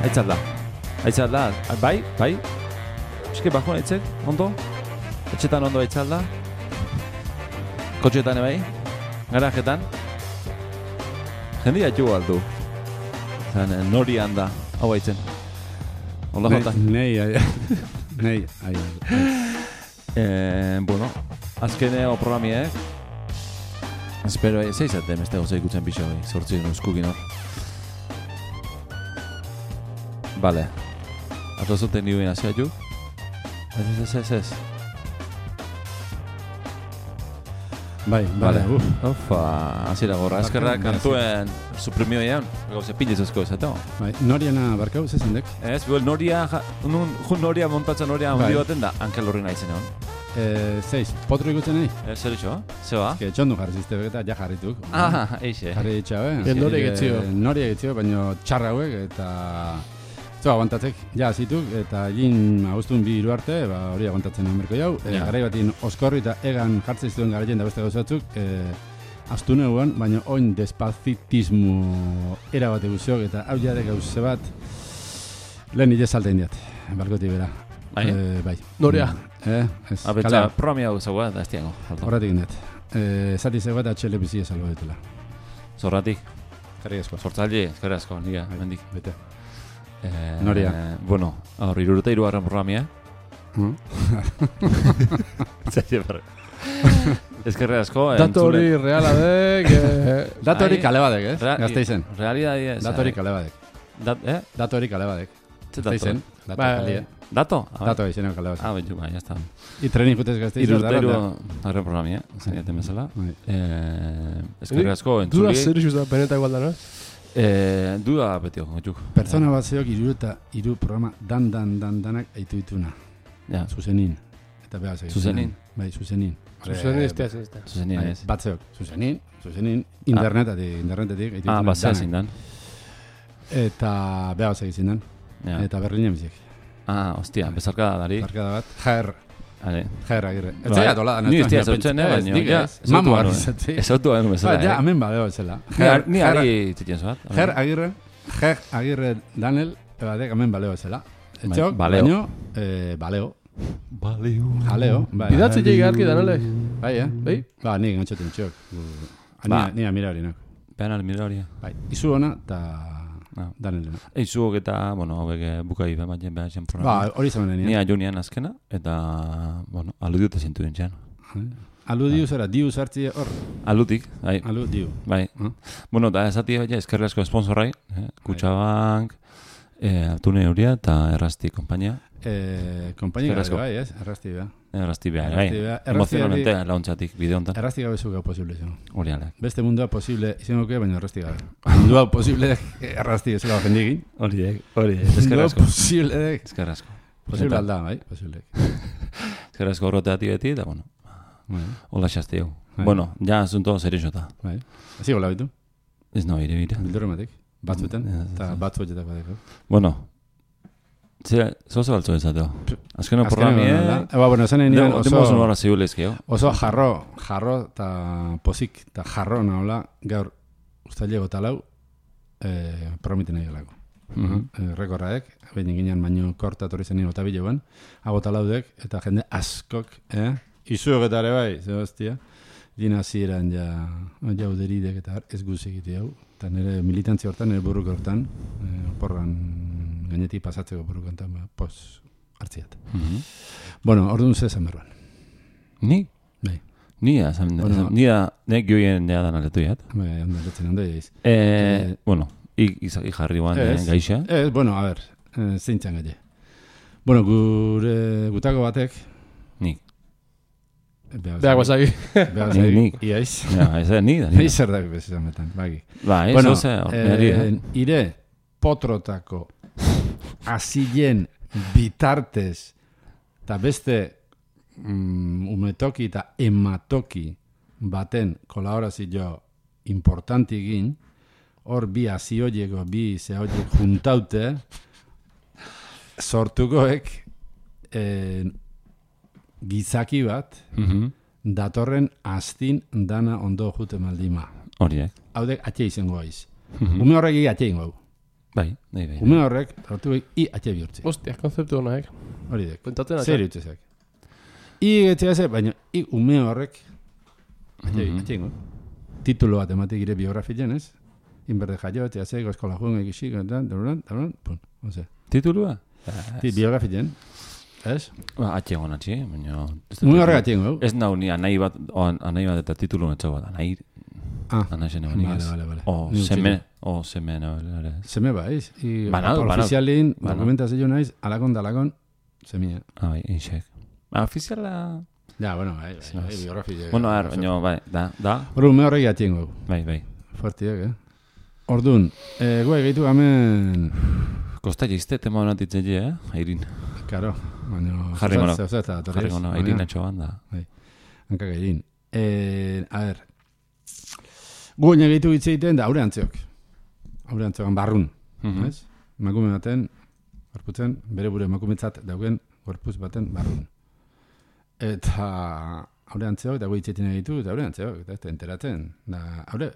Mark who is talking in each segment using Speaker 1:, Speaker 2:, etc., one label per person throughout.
Speaker 1: Aitzalda, bai? Eske bako naitzek, ondo? Etxetan ondo aitzalda? Kotxetan bai? Garajetan? Jendia jo aldu. Zan, nori handa, hau aitzen. Ola jota?
Speaker 2: Nei.
Speaker 1: Bueno, azkeneo programiek. Espero, zeizaten, beste gozei ikutzen pixo, sortzi nuzkukin hor. Vale. Atozuten nioen azia ju? Ez.
Speaker 2: Bai.
Speaker 1: Ufa, azira gorra. Ezkerrak kantuen suprimioian, gauze pilizuzko ez, eta?
Speaker 2: Bai, noriana barkau, zezendek?
Speaker 1: Ez, noria montatzen noria handi baten da, Ankel horri nahi zen hon.
Speaker 2: 6, potro ikutzen nahi?
Speaker 1: Zer itxo, zeba?
Speaker 2: Ez que txondu jarrizizte begeta, ja jarrituk.
Speaker 1: Eixe.
Speaker 2: Jarri ditxabe.
Speaker 3: Noria
Speaker 2: getzio, baina txarra hauek, eta... Zoa, aguantatzek, ja zituk, eta egin agustun 2 arte, hori aguantatzen amerko jau. Garai batin oskorri eta egan jartzen zituen garaien da beste gauzatzuk, astu neuan, baina oin despazitismo erabate guziok, eta hau jade gauze bat, lehen nire saltein diat, barkoti bera. Bai.
Speaker 3: Noria.
Speaker 1: Abetza, promi hau zagoa, da ez tiago.
Speaker 2: Horratik indet. Zati zegoa eta txele bizia salgo ditula.
Speaker 1: Zorratik?
Speaker 2: Karri asko.
Speaker 1: Sortzaile, karri asko, niga, mendik.
Speaker 2: Bete. Noria.
Speaker 1: Bueno, hor, 63 programia. Zaila barra. Ezkerre asko.
Speaker 3: Dato hori reala dek.
Speaker 2: Dato hori kale badek, ez? Gazte izen.
Speaker 1: Realidadi ez.
Speaker 2: Dato hori kale badek. Dato hori kale badek.
Speaker 1: Gazte izen.
Speaker 2: Dato? Dato izeneo kale badek.
Speaker 1: Betxu, ya está.
Speaker 2: I trenin jutez gazte izen.
Speaker 1: 63 programia, zaiaten bezala. Ezkerre asko, entzuli.
Speaker 3: Duda zer izuz da, beneta igual da, no?
Speaker 1: Duda betio, gotxuk.
Speaker 2: Pertsona bat zeok iru programa danak aitu dituna.
Speaker 1: Ja.
Speaker 2: Zuzenin. Eta behar zeik.
Speaker 1: Zuzenin?
Speaker 2: Bai, zuzenin.
Speaker 3: Zuzenin ez.
Speaker 1: Zuzenin ez.
Speaker 2: Bat zeok. Zuzenin. Internetatik.
Speaker 1: Bat zea zindan.
Speaker 2: Eta behar zeik zindan. Eta Berlinen bizik.
Speaker 1: Hostia, bezarkada dari.
Speaker 2: Bezarkada bat. Jair agirre. Ez
Speaker 1: zaila
Speaker 2: tola.
Speaker 1: Ni ez zautzen, baina.
Speaker 2: Mamo garrizatzi.
Speaker 1: Ez autu garen bezala.
Speaker 2: Ja, hemen badeo etzela.
Speaker 1: Ni ari txetien zoat.
Speaker 2: Jair agirre Daniel, badek hemen baleo etzela. Etxok, baino, baleo. Jaleo.
Speaker 3: Idatzi jegi arki Daniele.
Speaker 2: Bai, Bai? Ba, nik gantxoten txok. Ni amira hori, nok.
Speaker 1: Behan amira hori.
Speaker 2: Bai, izu hona, eta... Daniel.
Speaker 1: Eizuok eta, hauek bukai behar zen programa.
Speaker 2: Ba, hori zamenen.
Speaker 1: Nia jonian azkena, eta, aludiu eta zintu dintxean.
Speaker 2: Aludiu zera, diu zartzi hor?
Speaker 1: Aludik, bai.
Speaker 2: Aludiu.
Speaker 1: Bai. Bueno, eta esati eskerri asko esponsorai, Kutxabank, Altune Euria eta Errasti kompainia.
Speaker 2: Kompainia gabe bai, ez? Errasti beha.
Speaker 1: Errasti beha, bai. Emozionalmente launtzatik, bide honetan.
Speaker 2: Errasti gabe zuk posible zen.
Speaker 1: Hori alek.
Speaker 2: Beste mundua posible izan duke, baina errasti gabe. Mundua posible errasti ez gau jendigin.
Speaker 1: Hori, eskerri asko.
Speaker 2: Mundua posible dek.
Speaker 1: Eskerri asko.
Speaker 2: Posible alda, bai, posible.
Speaker 1: Eskerri asko horreteati beti, eta hola xazte jau. Bueno, ja asunto serixota.
Speaker 2: Bai. Asi gola bitu?
Speaker 1: Ez no, ire.
Speaker 2: Bildurrematik. Batzuten, eta batzuetetak badeko.
Speaker 1: Bueno, zoze baltzo ezateo. Azkeno programie...
Speaker 2: Bueno, zanen nian
Speaker 1: oso
Speaker 2: jarro eta pozik eta jarro nahola gaur ustailego talau promiten nahi galako. Rekorraek, behin ginen baino kortatorri zenien eta bileuen, hago talaudek eta jende askok, izuoketare bai, zebaztia, dina ziren jauderidek eta ez guzik egite hau. Eta nire militantzi hortan, nire burruk hortan, porran gainetik pasatzeko burruk hortan, pos hartziat. Bueno, orduan ze esan berban.
Speaker 1: Ni?
Speaker 2: Bai.
Speaker 1: Nia nek joien deadan aletuiat.
Speaker 2: Bai, ondaletzen ondo egeiz.
Speaker 1: Bueno, jarri guan gaixa.
Speaker 2: Bueno, a ver, zeintzan gaile. Bueno, gutako batek...
Speaker 1: Nik.
Speaker 3: Beak basagi.
Speaker 1: Nik.
Speaker 2: Iaiz.
Speaker 1: Ez da, ni da.
Speaker 2: Ni zer da bezizan metan, bagi.
Speaker 1: Bueno,
Speaker 2: ire potrotako azilen bitartez eta beste umetoki eta ematoki baten kolaborazio importantigin, hor bi azioieko, bi zehoiek juntaute, sortukoek gizaki bat, datorren astin dana ondo jute maldima.
Speaker 1: Horiek.
Speaker 2: Haudek atxe izango aiz. Ume horregi atxe ingo.
Speaker 1: Bai.
Speaker 2: Ume horrek, hartu behik, I atxe bihurtzi.
Speaker 3: Ostia, konzeptu honak.
Speaker 2: Hori dek.
Speaker 3: Pentatzen
Speaker 2: Zer utzezak. I etxea ze, baina I ume horrek, atxe ingo. Titulo bat ematik gire biografien, ez? Inberde jaio, etxea ze, eskola joan egizik, pun, oze.
Speaker 1: Titulua?
Speaker 2: Biografien, ez?
Speaker 1: Ba, atxe egon atxe, baina...
Speaker 2: Ume horrek atxe ingo.
Speaker 1: Ez nau ni anai bat eta titulu netxo bat, anai zen egon igaz.
Speaker 2: Vale.
Speaker 1: O seme nabel.
Speaker 2: Seme baiz.
Speaker 1: Banal.
Speaker 2: Ofizialin, dokumentazio naiz, alakon, semia.
Speaker 1: Bai, inxek. Ofiziala...
Speaker 2: Ja, bueno, bai, biografia.
Speaker 1: Bueno, baina, bai, da.
Speaker 2: Hor, ume horrek atxe ingo.
Speaker 1: Bai.
Speaker 2: Fuertiak, Orduan, goe gehitu gamen...
Speaker 1: Kosta jizte tema honatitzen Airin.
Speaker 2: Karo, baina...
Speaker 1: Jarri gono, Airin atxo banda.
Speaker 2: Hankak Airin. A ver, goe gehitu hitzeiten da aure antzeok. Aure antzeokan barrun, ez? Emakume baten, gorputzen, bere bure emakumetzat daugen gorputz baten barrun. Eta aure antzeok, eta goe hitzeiten egitu, eta aure antzeok, eta enteratzen. Da, aure...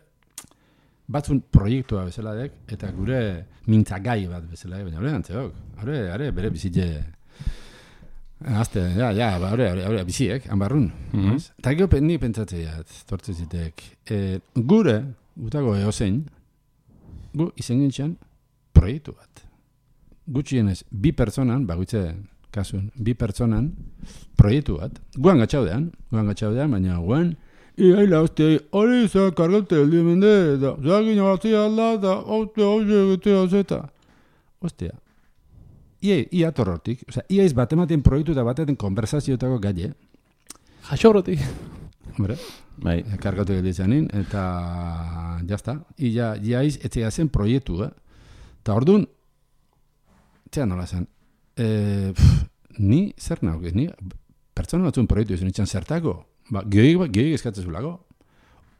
Speaker 2: Batzun proiektua bezala dek, eta gure mintzagai bat bezala dek, baina hori antzeok. Hore, bere bizitze... Azte, hori biziek, hanbarrun. Eta gero nik pentsatzeiat, tortze zitek. Gure, gutako eozein, gu izen gintxan proiektu bat. Gutxienez, 2 pertsonan, bagutze kasun, 2 pertsonan proiektu bat. Guan gatxaudean, baina guan, Iaila, hostia, hori za kargate el dimende, da, zagin abazia alda, da, hostia, hostia. Ia torrotik, osea, ia iz batematen proiektu eta batetan konversazioetako gaile.
Speaker 3: Jaxorrotik.
Speaker 2: Hombre,
Speaker 1: bai.
Speaker 2: Kargatu gelitzanin, eta jazta. Ia iz, etxea zen proiektu, Eta orduan, txea nola zen, ni zer nauk, ni pertsona batzun proiektu izan itxan zertako, gehiagik eskatzen zulago,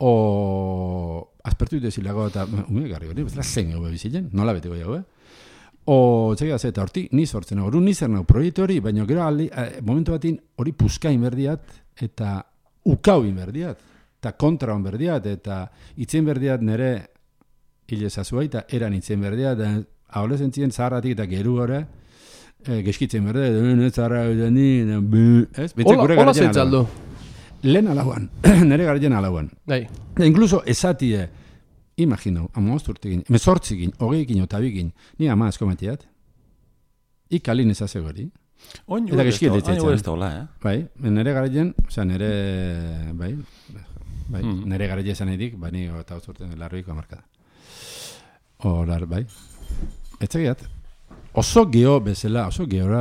Speaker 2: o aspertu desilago eta ume garri hori, bezala zen gau bizitzen, nola beteko jau, o txekia ze, eta hortik ni sortzen hau, ni zer nago proiektu hori, baina gero momentu batin hori puskain berdiat, eta ukauin berdiat, eta kontraun berdiat, eta itzen berdiat nere hile zazua, eta eran itzen berdiat, haule zentzien zaharratik eta geru gore, geskitzen berdiat, zaharra ez?
Speaker 3: Hola zentzaldo.
Speaker 2: Lehen alauan, nire garrien alauan.
Speaker 3: Bai.
Speaker 2: Incluso esatie, imagino, amosturtekin, mesortzikin, hogeikin, otabikin, ni ama eskometiat, ikalin ezazio gori. Eta geskiet ditzen. Bai, nire garrien, oza, nire garrien esan edik, bani eta osturten larroiko amarkada. Horar, bai. Etxegiat, oso geora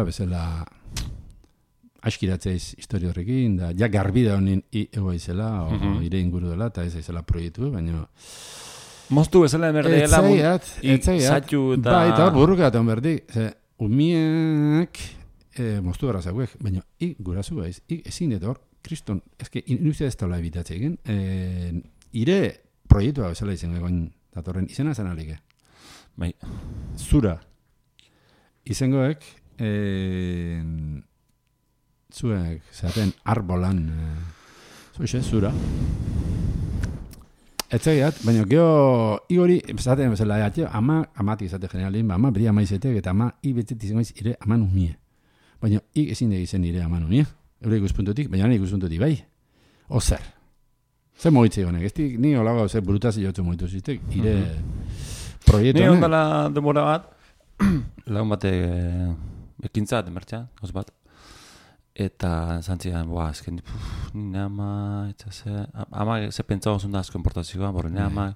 Speaker 2: bezala, askiratzeaz historio horrekin, da, ja garbi da honin egoa izela, ire inguru dela, eta ez izela proiektu, baina...
Speaker 1: Moztu bezala emerdeela,
Speaker 2: etzaiat,
Speaker 1: eta...
Speaker 2: Bai, eta hor burruka eta berdi, umiek moztu gara zauek, baina gurazu baiz, ezin dut hor, kriston, ezke, industria ez taula ebitatzen, ire proiektua bezala izan egoin datorren, izena zen alike.
Speaker 1: Bai.
Speaker 2: Zura. Izangoek, zuek, zaten, arbolan, zura. Etzegiat, baina geho, igori, zaten, bezala, amati izate generalin, ama beri ama izetek, eta ama ibetzet izangoiz ire aman umie. Baina, ezin egizen ire aman umie. Eure ikuspuntutik, baina nire ikuspuntutik, bai. Ozer. Zer mogitze honek, ez dik, ni holago, zer burutazi jotzu mogitu ziztek, ire proiektu honek.
Speaker 1: Ni ondala demora bat, lagun bate ekintza, demertxa, oz bat. Eta zantzian, azken, nire ama, ama ze pentsa gozun da asko importazioa, borre nire ama,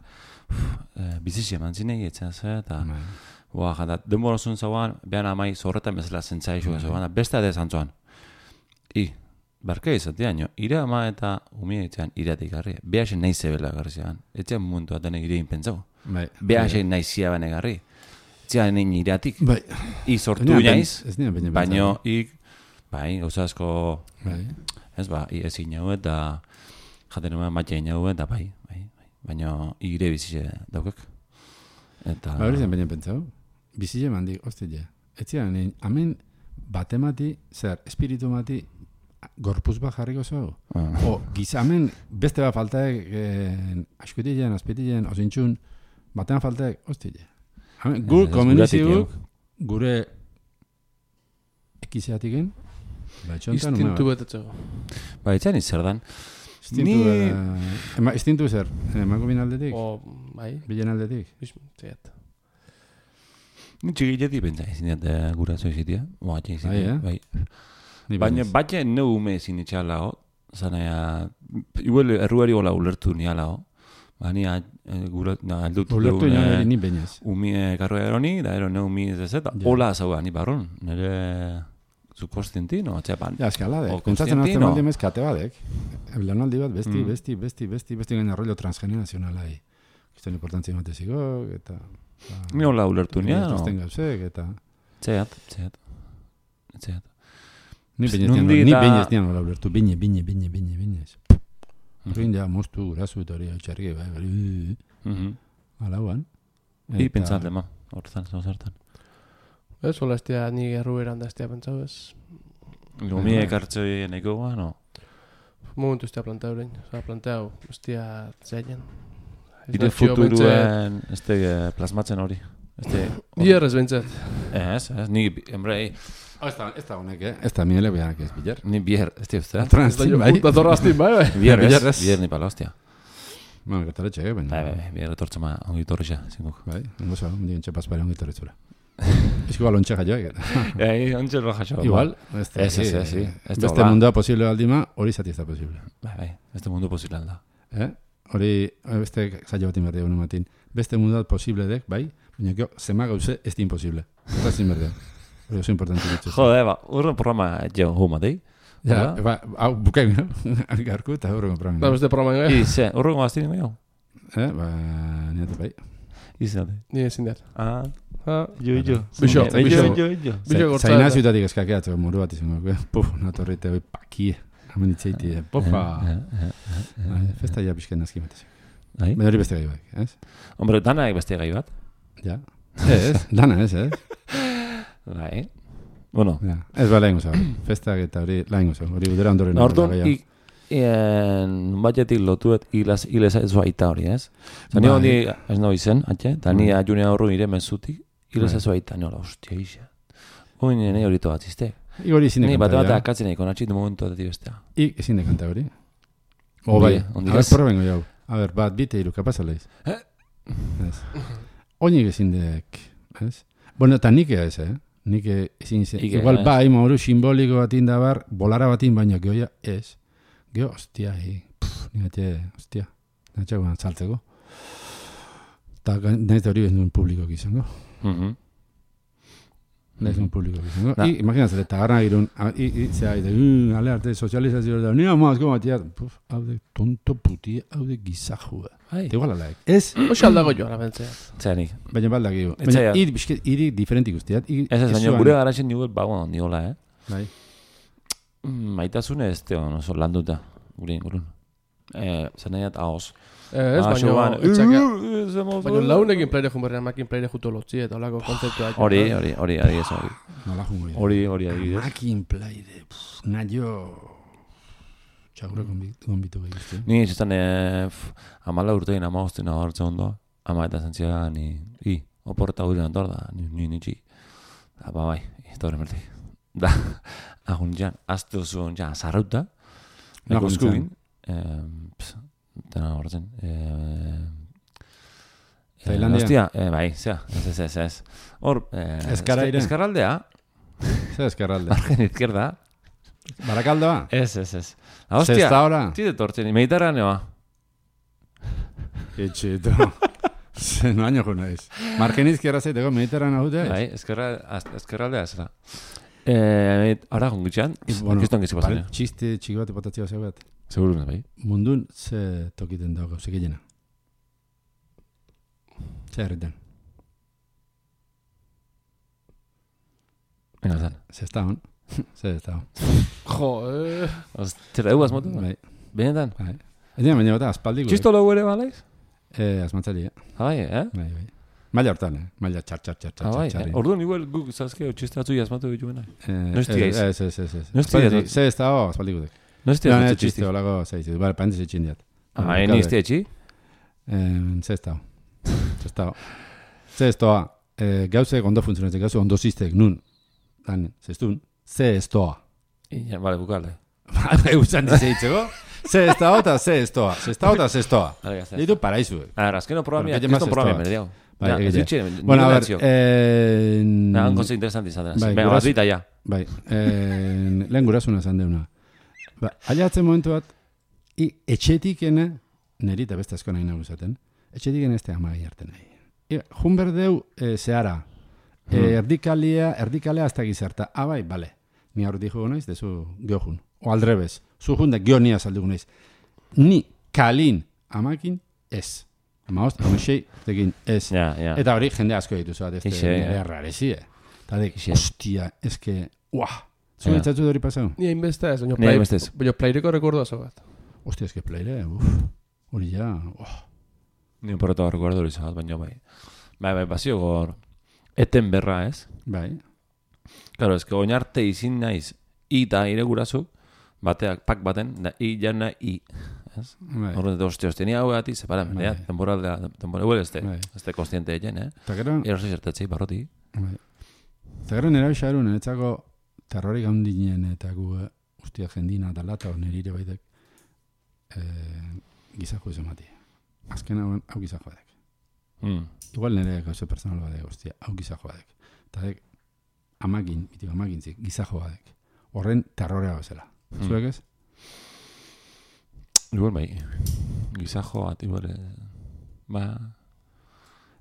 Speaker 1: bizizia manzinei, eta, jada, denbora zuen zauan, behan amai zorretan bezala zentzaizu, beste ade zantzuan. Barka izatean, ire ama eta umie etxean iratik garri, behasen nahi zebela garri zean, etxean momentu bat denek irein pentsau, behasen nahi ziabane garri, etxean nien iratik, sortu naiz, baino, bai, gauza asko, ez ba, ezin jau eta jaten nuen matxein jau eta bai, baina ire bizitze daukak. Ba,
Speaker 2: hori zen baina pentsau, bizitze mandik, ostile, etxean, amen batemati, zer, espiritu mati, gorpuz bat jarriko zau. O, gizamen, beste bat faltaek, askutile, azpitile, ozintxun, batean faltaek, ostile. Gu komeniziguk, gure ekizeatiken, etxontan
Speaker 3: Instintu betetzeko.
Speaker 1: Ba, etxean zer dan.
Speaker 2: Instintu zer, emako bin aldetik?
Speaker 3: Bai.
Speaker 2: Bilen aldetik?
Speaker 3: Zaiat.
Speaker 1: Ni txigiletik pentsa izineat guraso izitia. Bai. Baina batxe neu ume ezin itxalago. Zanaia, igual erruari gola ulertu nialago. Bani aldut.
Speaker 2: Ulertu ni bainaz.
Speaker 1: Umi karroa eroni, da ero neu umi ez eta. Hola zauga, ni barron. Nere subkonstienti, no? Txepan.
Speaker 2: Ja, eskaladek. Pentsatzen azten baldi emez kate badek. Lanaldi bat besti gaina rollo transgenerazionalai. Kistan importantzia emateziko, eta...
Speaker 1: Ni hola ulertu nia, no?
Speaker 2: Eta...
Speaker 1: Txeat.
Speaker 2: Ni bainez nian hola ulertu, bine. Horrein ja, moztu, gurasu eta hori hautxarri, bai. Alauan.
Speaker 1: I pentsat lema, horretan, zertan.
Speaker 3: Ez, hola estia, ni erruberan da estia pentsau, ez.
Speaker 1: Lumi ekartzoi neko ba, no?
Speaker 3: Momentu estia planteau orain, planteau, estia zainen.
Speaker 1: Ire futuruen plasmatzen hori.
Speaker 3: Bierrez behintzat.
Speaker 1: Ez, ni, embrei...
Speaker 2: Ez da honek, ez da miele behanak ez biler.
Speaker 1: Ni bier, ez da ustea.
Speaker 2: Transtin, bai.
Speaker 3: Datorra aztin, bai.
Speaker 1: Bier ni pala, hostia.
Speaker 2: Bueno, kataletxe, baina...
Speaker 1: Bai, bier etortza ma ongi torrixa, zinguk.
Speaker 2: Bai, ongo zo, ondik entxe paspare ongi torritzura. Ez igual ontxe jaioak.
Speaker 1: Ontxe roja jo.
Speaker 2: Igual,
Speaker 1: ez.
Speaker 2: Beste mundua posible aldima, hori zati ez da posible.
Speaker 1: Bai, beste mundu posible alda.
Speaker 2: Hori, beste zailo bat inberdea gure matin. Beste mundua posible dek, bai, baina gero, zema gauze ez di imposible. Eta zin berdea. Hori oso importante dituz.
Speaker 1: Jode, urren programa jo huma dei.
Speaker 2: Ja, hau bukain, garku eta urrengo programa.
Speaker 3: Da, beste programa ingo,
Speaker 1: Ize, urrengo aztinen goi hau?
Speaker 2: Niatu bai.
Speaker 1: Izate.
Speaker 3: Ni ezin dut.
Speaker 1: Jo.
Speaker 3: Bixo.
Speaker 2: Zaina ziutatik eskakeatzeko muru bat izango. Puf, natorrite hoi pakie. Hamen ditzeiti, popa. Festa ja pixken nazki matezik. Baina hori beste gai bat, ez?
Speaker 1: Hombre, dana beste gai bat.
Speaker 2: Ja. Ez, dana ez.
Speaker 1: Bai. Bueno.
Speaker 2: Ez ba lehengo zau. Festak eta hori lehengo zau. Hori udera ondoren.
Speaker 1: Orduan, batetik lotuet hilez ez baita hori, ez? Zani hori ez nahi zen, atxe? Eta ni ajunean horru nire mezutik, hilez ez baita. Ni hola, hostia, isa. Hori nire hori tobatzizte.
Speaker 2: Igori ezin dekanta.
Speaker 1: Ni bat akatzen egin, konatxit momentu eta bestea.
Speaker 2: Ezin dekanta hori. O bai, a ver, probengo jau. A ver, bat, bite iru, kapaz aleiz. Oinik ezin dek, ez? Bueno, eta nik ez, Nik ezin zen. Igual bai, mauru simboliko batin da bar, bolara batin, baina gehoia ez. Geho, ostia, ningatxe, ostia. Ningatxe guan saltzeko. Eta nahiz da hori ez nuen publiko izango. Nahiz nuen publiko izango. Imaginatzen, eta garna girun, zera, ale arte sozializazio da, nina mazko batia, haude tonto puti, haude gizajua. Eta igual alaik. Ez?
Speaker 3: Oxe aldago joan, abentzea.
Speaker 1: Zenik.
Speaker 2: Baina baldak igu. Baina iri diferentik guztiat.
Speaker 1: Ez, baina gure garaxen niguel bagoan ondiola,
Speaker 2: Bai.
Speaker 1: Maitasune ez teo, oso landuta. Gurun. Zanaiat ahoz.
Speaker 3: Ez, baina launekin plaire jumberrean makin plaire juto lotzi eta olako konzeptua.
Speaker 1: Hori, adibidez hori.
Speaker 2: Nola jungo.
Speaker 1: Hori adibidez.
Speaker 2: Makin plaire, naio... Txagura konbitu behizte.
Speaker 1: Ni izan 14 urtein 15 hartzen ondo. Ama eta zantzia ni oporta hori nantor da, ni nitxi. Da, bai, eta hori mertik. Da, agun jan, azte oso jan, zarrauta. Eko eskubin. Tena horretzen.
Speaker 2: Tailandia?
Speaker 1: Hostia, bai, zea, ez. Hor, eskarraldea.
Speaker 2: Zer eskarraldea?
Speaker 1: Margen izquierda.
Speaker 2: Barakaldoa?
Speaker 1: Ez. Hostia,
Speaker 2: Zesta hora?
Speaker 1: Tide tortzen, Mediterraneoa.
Speaker 2: Etxeto. No año juna ez. Margen izquierda zaiteko Mediterranea dute?
Speaker 1: Bai, eskerraldea ez da. Ara, gongitxean, kiston gizi pasan.
Speaker 2: Txiste txiki bat epotatzea zeu bat.
Speaker 1: Seguro, bai.
Speaker 2: Mundun ze tokiten dago, ze gehiena. Ze herriten.
Speaker 1: Venga, zan.
Speaker 2: Zestaon. Zestaon.
Speaker 3: Jo,
Speaker 1: Zera dugu azmotu?
Speaker 2: Bai.
Speaker 1: Benetan?
Speaker 2: Bai. Ez dira, baina bata, aspaldiko.
Speaker 1: Txisto logu ere balaiz?
Speaker 2: Azmantzali,
Speaker 1: Bai,
Speaker 2: Bai. Maila hortan, Maila txar.
Speaker 1: Orduan, igual guk zazkeo txiste atzu jazmatu dituena. Noizti gaiz?
Speaker 2: Ez.
Speaker 1: Noizti gaiz?
Speaker 2: Ze ez dago, aspaldiko dek.
Speaker 1: Noizti gaiz
Speaker 2: txiste?
Speaker 1: txiste?
Speaker 2: Olago, zeiz. Bale, paentez etxin diat.
Speaker 1: Ni izti etxi?
Speaker 2: Ze ez dago. Ze ez dago. gauzek ondo funtzionatzen, gauzek ondo ziztek, nun, dan, zestun, ze estoa.
Speaker 1: Ja, vale, bukale.
Speaker 2: Eustan dizeitzeko, ze estoa eta ze estoa. Ze estoa. Ditu paraizuek.
Speaker 1: Azkeno programia, kriston programia merdiau.
Speaker 2: Bai, bueno, a ver,
Speaker 1: hango ze interesanti izan dena. Venga, bat dita ja.
Speaker 2: Bai, lehen gurasuna zan deuna. Aiatzen momentu bat, etxetikene, neri eta beste asko nahi naguzaten, etxetikene ez te amai harten nahi. Jun berdeu zehara, erdikalea hasta gizarta. Bai, bale. Ni aurretik jugo naiz, dezu geojun. O aldrebez. Zu jundak geo nia saldugu naiz. Ni kalin amakin ez. Amaost, amexei, tekin ez. Eta hori jende asko dituzu bat, ez nire rarezie. Eta dek, hostia, ez que, uah. Zu netzatzu da hori pasau?
Speaker 3: Ni hainbeste ez, baina plaireko rekordoa zo bat.
Speaker 2: Hostia, ez que plaire, hori ja, uah.
Speaker 1: Ni un porreto rekordo hori zabat, baina bai. Bai, bazio gor, eten berra ez.
Speaker 2: Bai.
Speaker 1: Claro, es que oinarte izin naiz i eta ire gurazu, bateak pak baten, da i jana i. Horren, hostia, tenia hau gati, separan, temporal huel este consciente egen, Ero zizertetzei, barroti.
Speaker 2: Eta gero nera bixaru, niretzako terrorik handinen eta gu, ustia jendina eta lata, nire baitek, gizako izan mati. Azken hau gizako badek. Igual nire gauze personal badek, ustia, hau gizako badek. Eta dek, amagintzik, gizako badek. Horren terrorea bezala. Zuek ez?
Speaker 1: Igual bai, gizako bat, igual,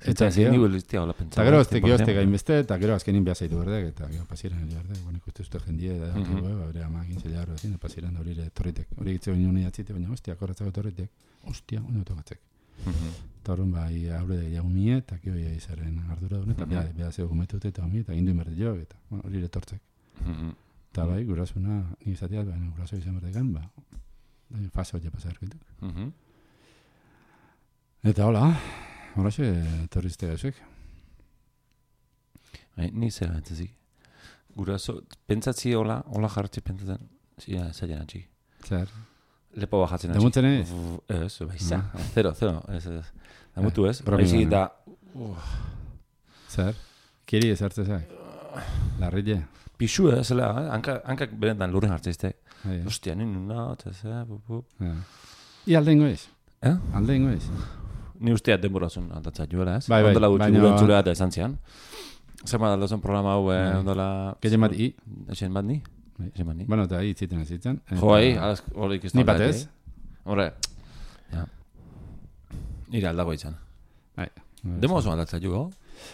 Speaker 2: Eta gero ez tekio gainbeste, eta gero azkenin behazaitu berdek, eta gero pasiran hori berdek, bueno, ikuste uste jendie, da, bere amagin zela hori ezin, pasiran hori torritek. Hori gitze baino honi atzite, baina hostia, korretzako torritek, hostia, honi otokatzek. Eta horren bai, haure de jaumie, eta kio ia izaren ardura dune, eta behazeo gumetute eta homi, eta gindu inberde jo, eta hori retortzek. Eta bai, gurasuna, ni izateat, baina guraso izan berdekan, fase hori pasarkituk. Eta hola, horaxe, torrizte gauzek.
Speaker 1: Ni zera entzazik. Guraso, pentsatzi hola jarratzi pentsatzen, zia zailan atxik.
Speaker 2: Zer?
Speaker 1: Lepo bajatzen atxik.
Speaker 2: Demutzen ez?
Speaker 1: Ez, baiza. Zero. Demutu ez? Baizik eta...
Speaker 2: Zer? Kiri ezartze zak? Larrile?
Speaker 1: Pixu ez, zela, hankak berentan lurren hartzizte. Ostia, nina, eta zera,
Speaker 2: I aldengo ez? Aldengo ez?
Speaker 1: Ni usteat denborazun aldatzat juela, ez?
Speaker 2: Bai,
Speaker 1: ondela gutxi gure entzulea eta esan zian. Zema daldazen programa hau, ondela...
Speaker 2: Kezen bat i?
Speaker 1: Esen bat ni? Esen bat ni?
Speaker 2: Bueno, eta i zitzen.
Speaker 1: Jo, horik ez
Speaker 2: ni batez?
Speaker 1: Horre, ja. Nire aldago izan. Denborazun aldatzat jugo?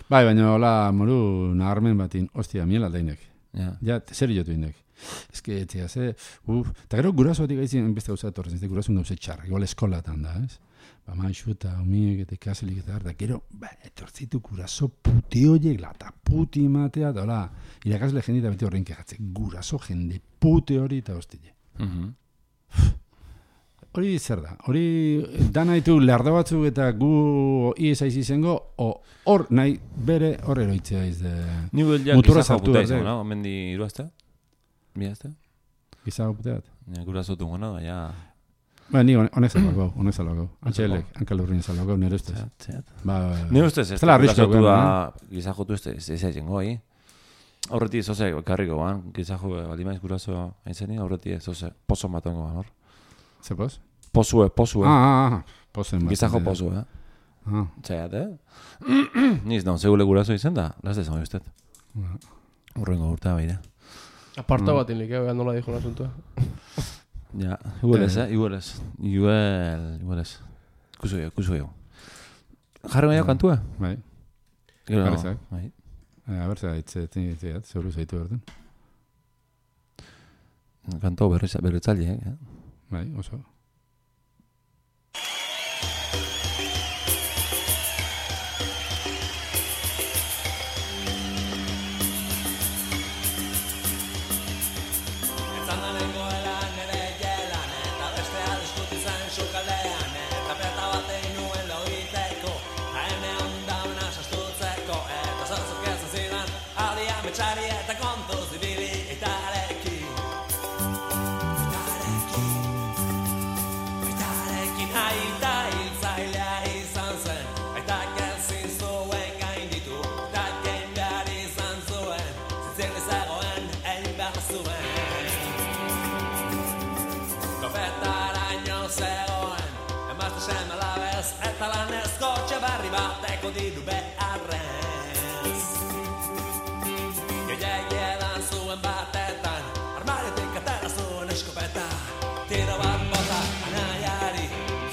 Speaker 2: Bai, baina hola moru naharmen batin, ostia, miel aldainek. Ja, zer jotu indek. Ez que, etzea, eta gero gurasoatik gaizien beste gauza etorren, ez gurasun gauze txarra, igual eskolatan da, ez? Maixu eta homiek eta ikaselik eta harta, gero, etortzitu guraso puti horiek, lata puti matea, eta hola, irakasle jende eta beti horrein kejatzen, guraso jende puti hori eta hostile. Hori zer da, hori dana ditu larda batzuk eta gu iesaiz izango, hor nahi bere hor eroitzea izde muturra zartu da.
Speaker 1: Nibu el mendi iruazte? Miazte?
Speaker 2: Gizago puteat?
Speaker 1: Guraso tungo, no? Ja...
Speaker 2: Ni honek zalogau. Antxelek, hankalurrin zalogau, nire ustez.
Speaker 1: Nire ustez, ez da gurasotu da gizajotu ez egin goi. Horreti zoze karriko ban, gizajo balimaiz guraso aintzeni, horreti zoze pozo matongo ban, hor.
Speaker 2: Ze poz?
Speaker 1: Pozue.
Speaker 2: Pozen bat.
Speaker 1: Gizajo pozue, Txaiat, Niz, non, segule guraso izen da, lazte zan usted. Horrengo urtea beire.
Speaker 3: Aparta bat inlik, nola dijo l'asuntua.
Speaker 1: Ja, igual ez. Kusu ego. Jarri maio kantua?
Speaker 2: Bai.
Speaker 1: Jarri
Speaker 2: bai. A ber, zaitzat, zeuru zaitu berden.
Speaker 1: Kanto berretzaldi,
Speaker 2: Bai, oso.
Speaker 4: katalanezko txabarri bateko diru beharrez. Gehiagiedan zuen batetan, armariotik atera zuen eskopeta. Tiro bat bota anaiari,